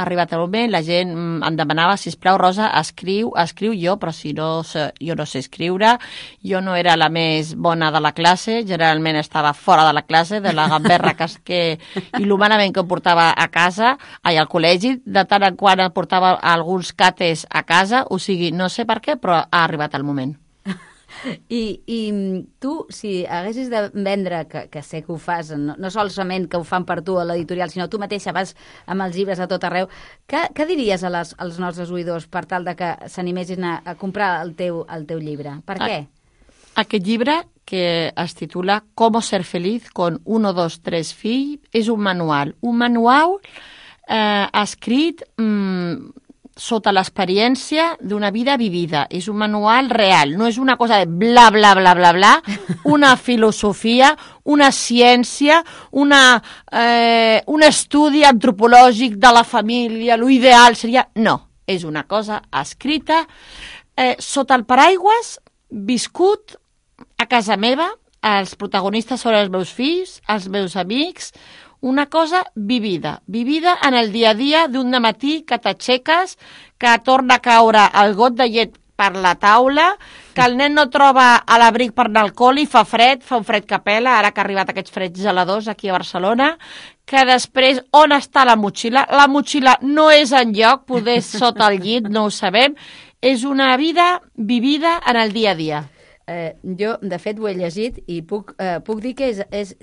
la gent em demanava, sisplau, Rosa, escriu jo, però si no, jo no sé escriure, jo no era la més bona de la classe, generalment estava fora de la classe, de la gamberra i l'humanament que em portava a casa, al col·legi, de tant en quant em portava alguns cates a casa, o sigui, no sé per què, però ha arribat el moment. I tu, si haguessis de vendre, que sé que ho fas, no solament que ho fan per tu a l'editorial, sinó tu mateixa vas amb els llibres a tot arreu, què diries als nostres oïdors per tal de que s'animessin a comprar el teu llibre? Per què? Aquest llibre, que es titula Cómo ser feliz con 1, 2, 3 fills, és un manual escrit sota l'experiència d'una vida vivida. És un manual real, no és una cosa de bla, bla, bla, bla, bla, una filosofia, una ciència, un estudi antropològic de la família, l'ideal seria... No, és una cosa escrita sota el paraigües, viscut a casa meva, els protagonistes són els meus fills, els meus amics, una cosa vivida en el dia a dia d'un matí que t'aixeques, que torna a caure el got de llet per la taula, que el nen no troba a l'abric per anar al col·li, fa un fred que pela, ara que ha arribat aquests freds geladors aquí a Barcelona, que després on està la motxilla? La motxilla no és enlloc, poder sota el llit, no ho sabem, és una vida vivida en el dia a dia. Jo, de fet, ho he llegit i puc dir que és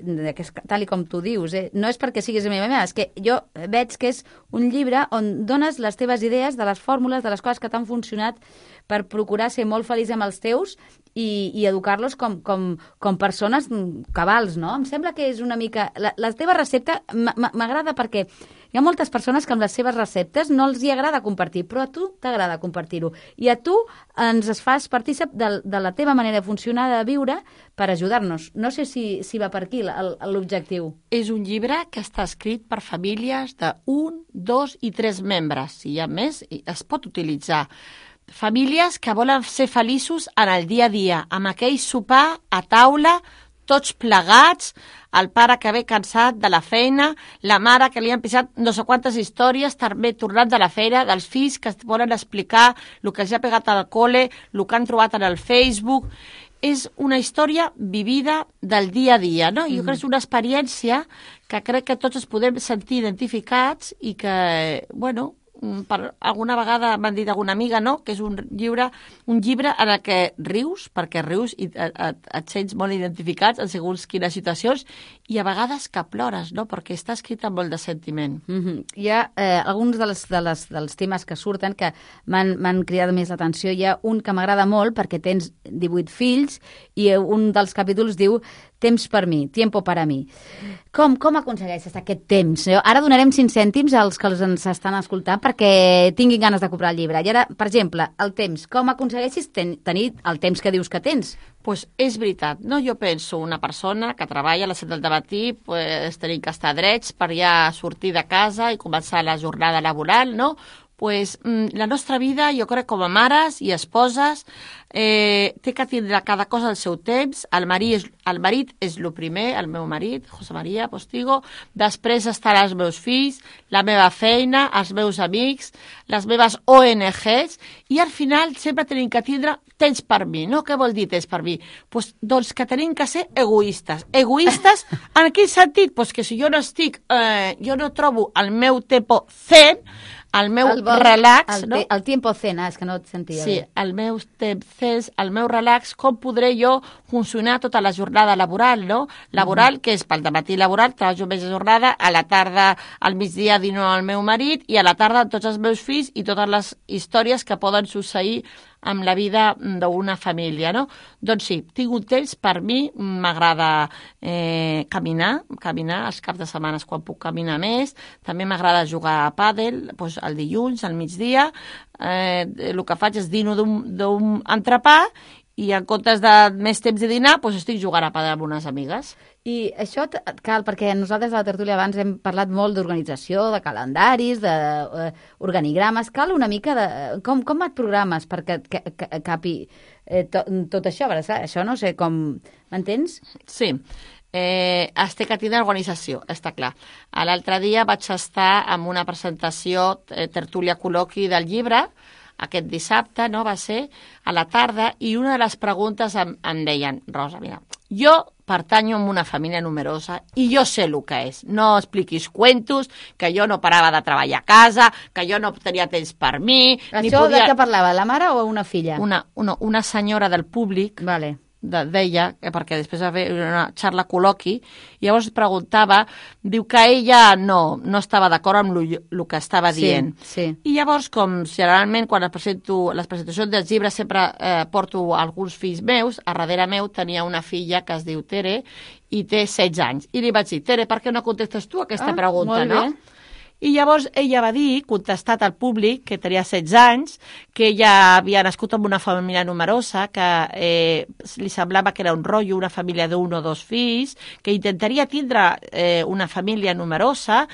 tal com tu dius. No és perquè siguis la meva meva, és que jo veig que és un llibre on dones les teves idees de les fórmules, de les coses que t'han funcionat per procurar ser molt feliç amb els teus i educar-los com persones cabals, no? Em sembla que és una mica... La teva recepta m'agrada perquè hi ha moltes persones que amb les seves receptes no els hi agrada compartir, però a tu t'agrada compartir-ho. I a tu ens fas partícip de la teva manera de funcionar, de viure, per ajudar-nos. No sé si va per aquí l'objectiu. És un llibre que està escrit per famílies de 1, 2 i 3 membres. Si hi ha més, es pot utilitzar. Famílies que volen ser feliços en el dia a dia, amb aquell sopar a taula, tots plegats, el pare que ve cansat de la feina, la mare que li han pisat no sé quantes històries, també tornant de la feina, dels fills que es volen explicar el que els ha pegat al col·le, el que han trobat en el Facebook, és una història vivida del dia a dia, no? Jo crec que és una experiència que crec que tots ens podem sentir identificats i que, bueno, alguna vegada m'han dit alguna amiga, no?, que és un llibre en el que rius, perquè rius i et sents molt identificats en segons quines situacions, i a vegades que plores, no?, perquè està escrit amb molt de sentiment. Hi ha alguns dels temes que surten que m'han cridat més l'atenció. Hi ha un que m'agrada molt perquè tens 18 fills i un dels capítols diu temps per mi, tiempo para mi. Com aconsegueixes aquest temps? Ara donarem 5 cèntims als que ens estan escoltant perquè tinguin ganes de comprar el llibre. I ara, per exemple, el temps. Com aconsegueixes tenir el temps que dius que tens? Pues és veritat, no? Jo penso una persona que treballa a les 7 del matí, pues tenim que estar drets per ja sortir de casa i començar la jornada laboral, no? Pues la nostra vida, jo crec, com a mares i esposes, té que tindre cada cosa al seu temps. El marit és el primer, el meu marit, José María Postigo, després estan els meus fills, la meva feina, els meus amics, les meves ONGs, i al final sempre tenim que tindre temps per mi, no? Què vol dir temps per mi? Pues, doncs que tenim que ser egoistes. Egoistes en quin sentit? Pues que si jo no estic, jo no trobo el meu tempo zen, el meu relax... no? El tiempo zen, és que no et sentia sí, bé. el meu temps, el meu relax, com podré jo funcionar tota la jornada laboral, no? Laboral, que és pel dematí laboral, treballo més de jornada, a la tarda, al migdia dino al meu marit, i a la tarda tots els meus fills i totes les històries que poden succeir amb la vida d'una família, no? Doncs sí, tinc un temps, per mi m'agrada caminar els caps de setmana quan puc caminar més, també m'agrada jugar a pàdel, doncs el dilluns, al migdia, el que faig és dino d'un entrepà i en comptes de més temps de dinar, doncs estic jugant a pàdel amb unes amigues. I això cal, perquè nosaltres a la tertúlia abans hem parlat molt d'organització, de calendaris, d'organigrames. Cal una mica de... Com et programes perquè capi tot això? Això no sé com... M'entens? Sí. Es té que tindre organització, està clar. L'altre dia vaig estar en una presentació tertúlia col·loqui del llibre, aquest dissabte, no, va ser a la tarda, i una de les preguntes em deien, Rosa, mira, jo pertanyo a una família numerosa i jo sé el que és. No expliquis cuentos, que jo no parava de treballar a casa, que jo no tenia temps per mi... Això de què parlava, la mare o una filla? Una senyora del públic... Vale. Deia, perquè després va fer una xarra col·loqui, i llavors preguntava, diu que ella no estava d'acord amb el que estava dient. Sí. I llavors, com generalment quan presento les presentacions dels llibres sempre porto alguns fills meus, a darrere meu tenia una filla que es diu Tere i té 16 anys. I li vaig dir, Tere, per què no contestes tu aquesta pregunta, molt bé. no? I llavors ella va dir, contestat al públic, que tenia 16 anys, que ella havia nascut en una família numerosa, que li semblava que era un rotllo, una família d'un o dos fills, que intentaria tindre una família numerosa,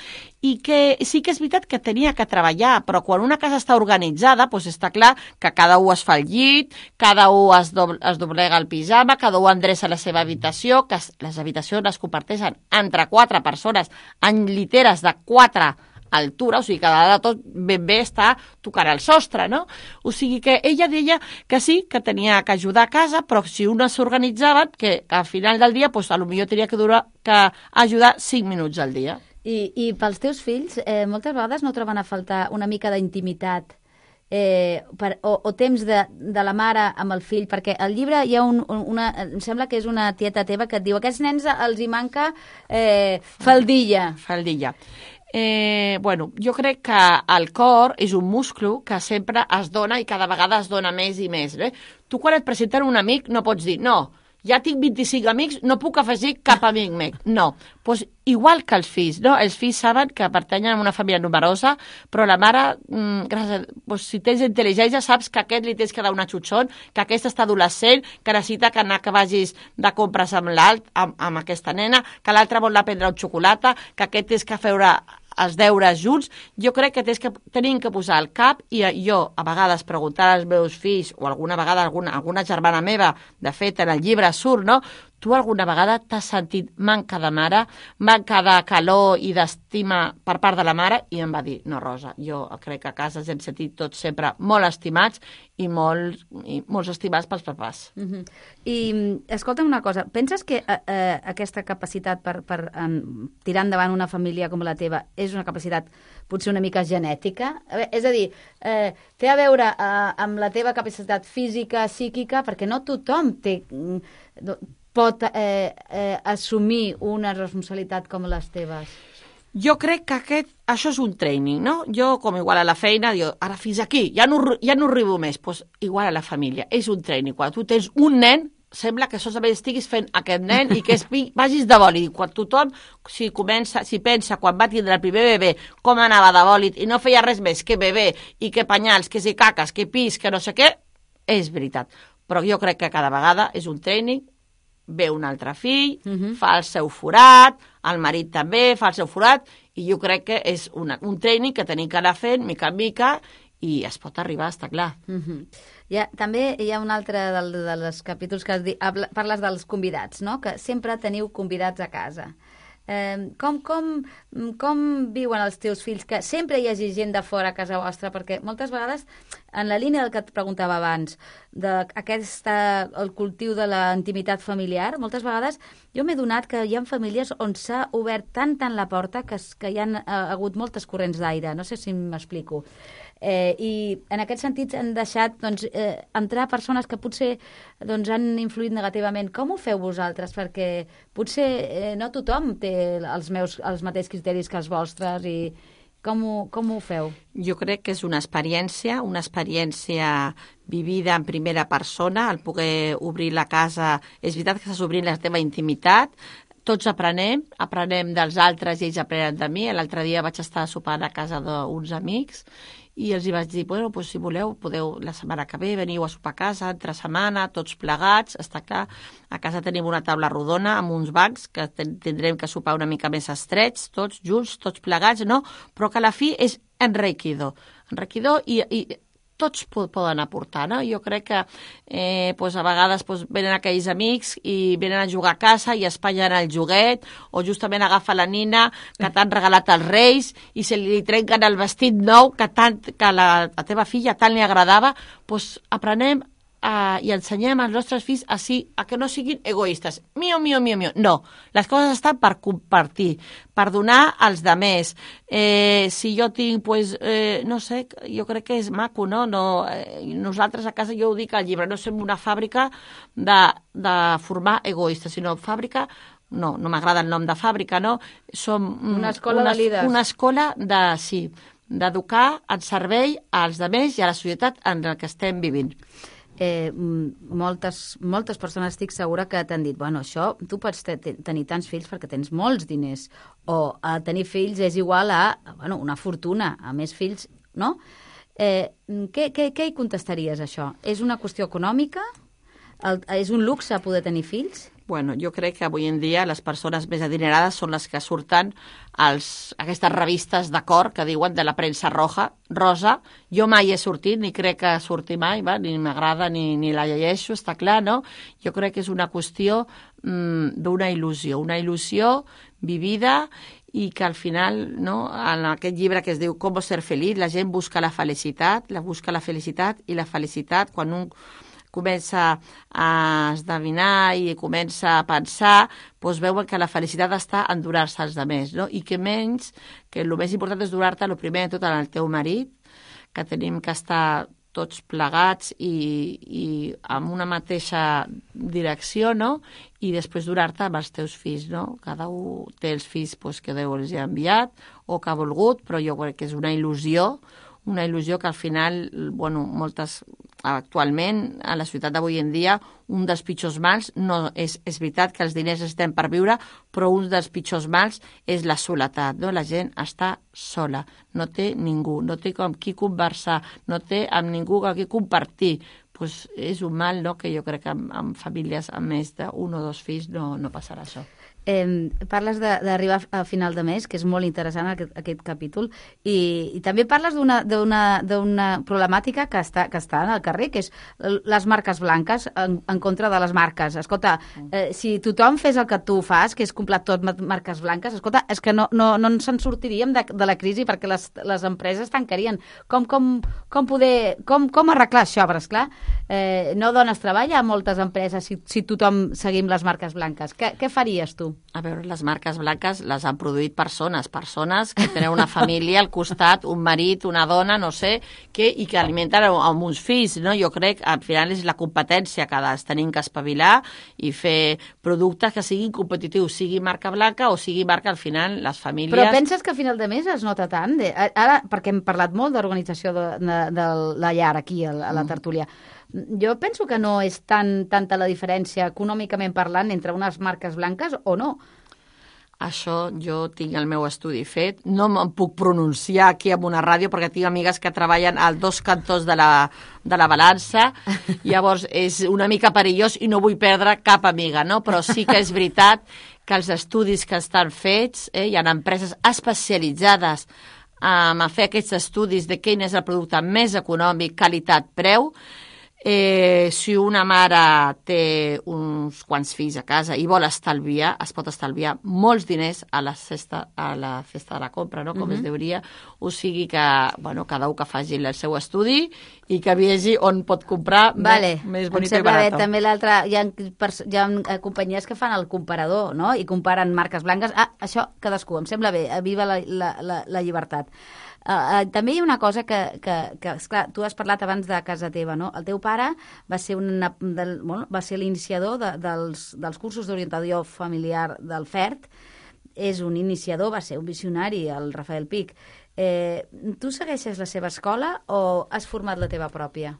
i que sí que és veritat que tenia que treballar, però quan una casa està organitzada, doncs està clar que cada un es fa el llit, cada un es doblega el pijama, cada un endreça la seva habitació, que les habitacions es comparteixen entre 4 persones en lliteres de 4 altura, o sigui que de tot ben bé està tocant el sostre, no? O sigui que ella deia que sí, que tenia que ajudar a casa, però si una s'organitzava, que al final del dia, doncs, potser tenia que ajudar 5 minuts al dia. I pels teus fills, moltes vegades no troben a faltar una mica d'intimitat o temps de la mare amb el fill, perquè al llibre hi ha em sembla que és una tieta teva que et diu, a aquests nens els hi manca faldilla. Faldilla. Bueno, jo crec que el cor és un múscul que sempre es dona i cada vegada es dona més i més. Tu quan et presenten un amic no pots dir, no, ja tinc 25 amics, no puc afegir cap amic més. No, doncs igual que els fills, no? Els fills saben que pertanyen a una família numerosa, però la mare, doncs, si tens intel·ligència, saps que a aquest li tens que dar una xutxon, que aquest està adolescent, que necessita que vagis de compres amb amb aquesta nena, que l'altre vol anar a prendre un xocolata, que aquest tens que fer els deures junts. Jo crec que tenim que posar el cap, i jo a vegades preguntar als meus fills, o alguna vegada alguna germana meva, de fet en el llibre surt, no? tu alguna vegada t'has sentit manca de mare, manca de calor i d'estima per part de la mare? I em va dir, no, Rosa, jo crec que a casa ens hem sentit tots sempre molt estimats i molts estimats pels papàs. I escolta'm una cosa, penses que aquesta capacitat per tirar endavant una família com la teva és una capacitat potser una mica genètica? És a dir, té a veure amb la teva capacitat física, psíquica, perquè no tothom pot assumir una responsabilitat com les teves. Jo crec que això és un training, no? Jo, com igual a la feina, diu, ara fins aquí, ja no arribo més. Doncs igual a la família, és un training. Quan tu tens un nen, sembla que solament estiguis fent aquest nen i que vagis de bòlit. Quan tothom, si pensa quan va tindre el primer bebè, com anava de bòlit i no feia res més que bebè i que penyals, que si caques, que pis, que no sé què, és veritat. Però jo crec que cada vegada és un training, ve un altre fill, fa el seu forat, el marit també fa el seu forat, i jo crec que és un training que tenim que anar fent mica en mica i es pot arribar, està clar. També hi ha un altre dels capítols que parles dels convidats, no? Que sempre teniu convidats a casa. Com viuen els teus fills que sempre hi hagi gent de fora a casa vostra? Perquè moltes vegades, en la línia del que et preguntava abans, el cultiu de la intimitat familiar, moltes vegades jo m'he donat que hi ha famílies on s'ha obert tant la porta que hi ha hagut moltes corrents d'aire. No sé si m'explico. I en aquest sentit han deixat entrar persones que potser han influït negativament. Com ho feu vosaltres? Perquè potser no tothom té els mateixos criteris que els vostres i com ho feu? Jo crec que és una experiència vivida en primera persona, el poder obrir la casa. És veritat que estàs obrint la teva intimitat, tots aprenem dels altres i ells aprenen de mi. L'altre dia vaig estar sopant a casa d'uns amics i els hi vaig dir, bueno, doncs, si voleu, podeu la setmana que ve, veniu a sopar a casa, entre setmana, tots plegats, està clar. A casa tenim una taula rodona amb uns bancs que tindrem que sopar una mica més estrets, tots junts, tots plegats, no? Però que a la fi és enriquidor i tots poden aportar, no? Jo crec que a vegades venen aquells amics i venen a jugar a casa i espatllen el joguet, o justament agafa la nina que t'han regalat els reis i se li trenquen el vestit nou que a la teva filla tant li agradava. Doncs aprenem i ensenyem als nostres fills a que no siguin egoistes. Mio. No, les coses estan per compartir, per donar als demés. Si jo tinc, no sé, jo crec que és maco, no? Nosaltres a casa, jo ho dic al llibre, no som una fàbrica de formar egoistes, sinó fàbrica... No m'agrada el nom de fàbrica, no? Som una escola de líders. Una escola d'educar en servei als demés i a la societat en la que estem vivint. Moltes persones estic segura que t'han dit, bueno, això, tu pots tenir tants fills perquè tens molts diners, o tenir fills és igual a una fortuna, a més fills, no? Què hi contestaries, això? És una qüestió econòmica? És un luxe poder tenir fills? Bueno, jo crec que avui en dia les persones més adinerades són les que surten aquestes revistes de cor que diuen de la premsa rosa. Jo mai he sortit, ni crec que surti mai, ni m'agrada ni la llegeixo, està clar, no? Jo crec que és una qüestió d'una il·lusió vivida i que al final, no, en aquest llibre que es diu Com ser feliç, la gent busca la felicitat i la felicitat quan un comença a esdevinar i comença a pensar, doncs veuen que la felicitat està en donar-se als altres, no? I que el més important és donar-te, el primer de tot, en el teu marit, que tenim que estar tots plegats i amb una mateixa direcció, no? I després donar-te amb els teus fills, no? Cada un té els fills que Déu els ha enviat o que ha volgut, però jo crec que és una il·lusió que al final, actualment, a la societat d'avui en dia, un dels pitjors mals, no és veritat que els diners estem per viure, però un dels pitjors mals és la soledat, no? La gent està sola, no té ningú, no té amb qui conversar, no té amb ningú amb qui compartir. És un mal, no?, que jo crec que en famílies amb més d'un o dos fills no passarà això. Parles d'arribar a final de mes, que és molt interessant aquest capítol, i també parles d'una problemàtica que està en el carrer, que és les marques blanques en contra de les marques. Escolta, si tothom fes el que tu fas, que és comprar tot marques blanques, escolta, és que no ens en sortiríem de la crisi perquè les empreses tancarien. Com arreglar això? Però, esclar, no dones treball a moltes empreses si tothom seguim les marques blanques. Què faries tu? A veure, les marques blanques les han produït persones que tenen una família al costat, un marit, una dona, no sé, i que alimenten amb uns fills, no? Jo crec que al final és la competència que tenim que espavilar i fer productes que siguin competitius, sigui marca blanca o sigui marca, al final, les famílies... Però penses que a final de mes es nota tant? Ara, perquè hem parlat molt d'organització de la llar aquí, a la tertúlia. Jo penso que no és tanta la diferència econòmicament parlant entre unes marques blanques o no. Això jo tinc el meu estudi fet. No me'n puc pronunciar aquí en una ràdio perquè tinc amigues que treballen als dos cantons de la balança. Llavors és una mica perillós i no vull perdre cap amiga, no? Però sí que és veritat que els estudis que estan fets, hi ha empreses especialitzades a fer aquests estudis de quin és el producte més econòmic, qualitat, preu. Si una mare té uns quants fills a casa i vol estalviar, es pot estalviar molts diners a la cesta de la compra, no? Com es diria. O sigui que, bueno, cada un que faci el seu estudi i que vegi on pot comprar més bonito i barat. També l'altre, hi ha companyies que fan el comparador, no? I comparen marques blanques. Això cadascú, em sembla bé, viva la llibertat. També hi ha una cosa que esclar, tu has parlat abans de casa teva, no? El teu pare va ser l'iniciador dels cursos d'orientació familiar del FERT, és un iniciador, va ser un visionari, el Rafael Pic. Tu segueixes la seva escola o has format la teva pròpia?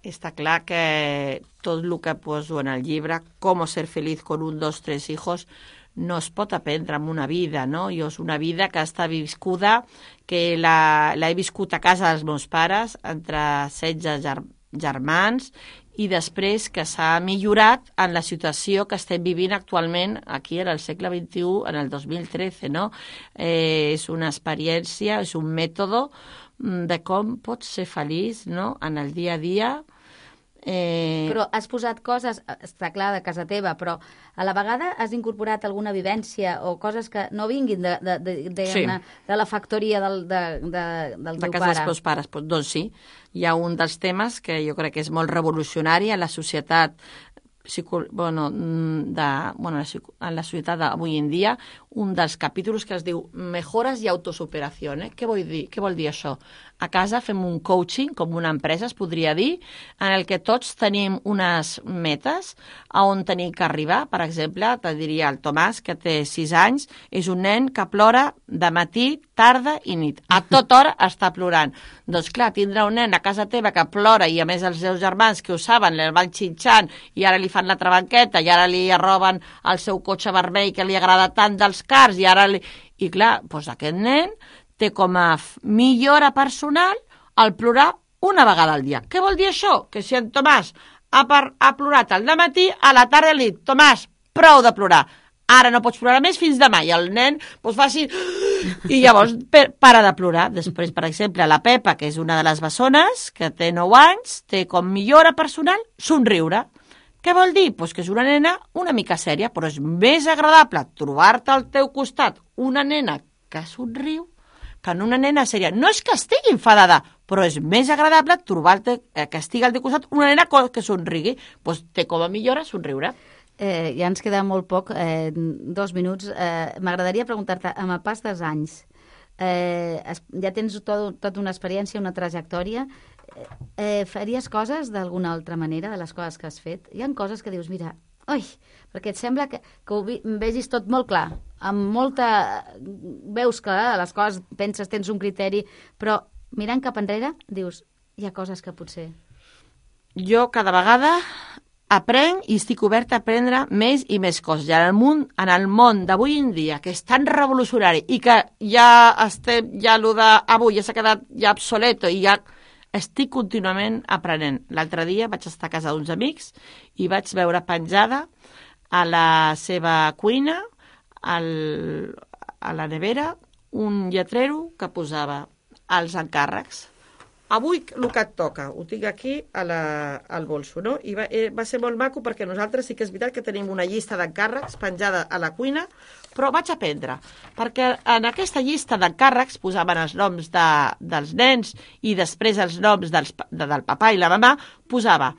Està clar que tot el que poso en el llibre, Com ser feliz con 1, 2, 3 hijos, no es pot aprendre en una vida, no? Jo és una vida que està viscuda, que l'he viscut a casa dels meus pares, entre 16 germans, i després que s'ha millorat en la situació que estem vivint actualment aquí en el segle XXI, en el 2013, no? És una experiència, és un mètode de com pots ser feliç, no?, en el dia a dia. Però has posat coses, està clar, de casa teva, però a la vegada has incorporat alguna vivència o coses que no vinguin de la factoria del teu pare. De casa dels meus pares, doncs sí. Hi ha un dels temes que jo crec que és molt revolucionari en la societat en la societat d'avui en dia, un dels capítols que es diu Mejoras i autosuperació. Què vol dir això? A casa fem un coaching, com una empresa, es podria dir, en el que tots tenim unes metes a on tenim que arribar. Per exemple, te diria el Tomàs, que té 6 anys, és un nen que plora de matí, tarda i nit. A tota hora està plorant. Doncs clar, tindrà un nen a casa teva que plora i a més els seus germans que ho saben, li van xinxant i ara li fan la trabanqueta i ara li roben el seu cotxe vermell que li agrada tant dels cars i ara I clar, doncs aquest nen té com a millora personal el plorar una vegada al dia. Què vol dir això? Que si en Tomàs ha plorat al dematí, a la tarda li dic, Tomàs, prou de plorar. Ara no pots plorar més fins demà. I el nen fa així i llavors para de plorar. Després, per exemple, la Pepa, que és una de les bessones, que té 9 anys, té com millora personal somriure. Què vol dir? Pues que és una nena una mica sèria, però és més agradable trobar-te al teu costat una nena que somriu que en una nena sèria. No és que estigui enfadada, però és més agradable trobar-te que estigui al teu costat una nena que somrigui. Pues té com a millora somriure. Ja ens queda molt poc, 2 minuts. M'agradaria preguntar-te, amb el pas dels anys, ja tens tota una experiència, una trajectòria, faries coses d'alguna altra manera de les coses que has fet? Hi ha coses que dius, mira, perquè et sembla que ho vegis tot molt clar, amb molta... Veus que les coses, penses, tens un criteri, però mirant cap enrere, dius, hi ha coses que potser... Jo cada vegada aprenc i estic oberta a aprendre més i més coses. I en el món d'avui en dia, que és tan revolucionari i que ja allò d'avui ja s'ha quedat ja obsoleto i ja estic contínuament aprenent. L'altre dia vaig estar a casa d'uns amics i vaig veure penjada a la seva cuina a la nevera un lletrero que posava els encàrrecs. Avui el que et toca, ho tinc aquí al bolso, no? I va ser molt maco perquè nosaltres sí que és veritat que tenim una llista d'encàrrecs penjada a la cuina, però vaig aprendre, perquè en aquesta llista d'encàrrecs posaven els noms dels nens i després els noms del papà i la mamà, posava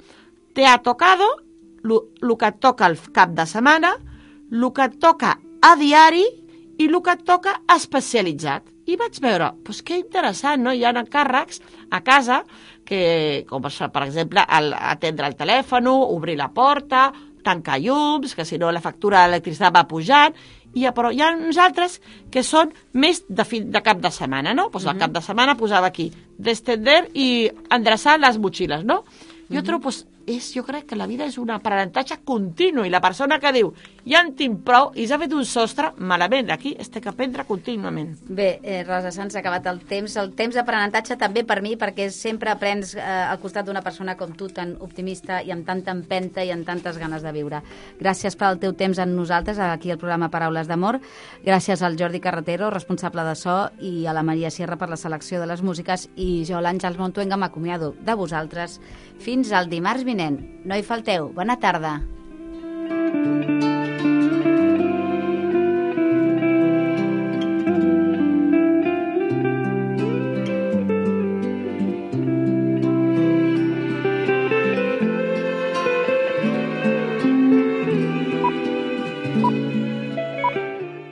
te ha tocado, el que et toca al cap de setmana, el que et toca a diari i el que et toca especialitzat. I vaig veure, doncs que interessant, no? Hi ha encàrrecs a casa, com per exemple atendre el telèfon, obrir la porta, tancar llums, que si no la factura d'electricitat va pujant, però hi ha uns altres que són més de cap de setmana, no? Doncs el cap de setmana posava aquí, destender i endreçar les motxilles, no? Jo trobo, jo crec que la vida és un aprenentatge continu i la persona que diu ja en tinc prou i s'ha fet un sostre, malament, aquí es té que aprendre contínuament. Bé, Rosa Sans, s'ha acabat el temps d'aprenentatge també per mi, perquè sempre aprens al costat d'una persona com tu, tan optimista i amb tanta empenta i amb tantes ganes de viure. Gràcies pel teu temps amb nosaltres, aquí al programa Paraules d'Amor. Gràcies al Jordi Carretero, responsable de so, i a la Maria Sierra per la selecció de les músiques, i jo, l'Àngels Montuenga, m'acomiado de vosaltres fins al dimarts vinent. No hi falteu. Bona tarda.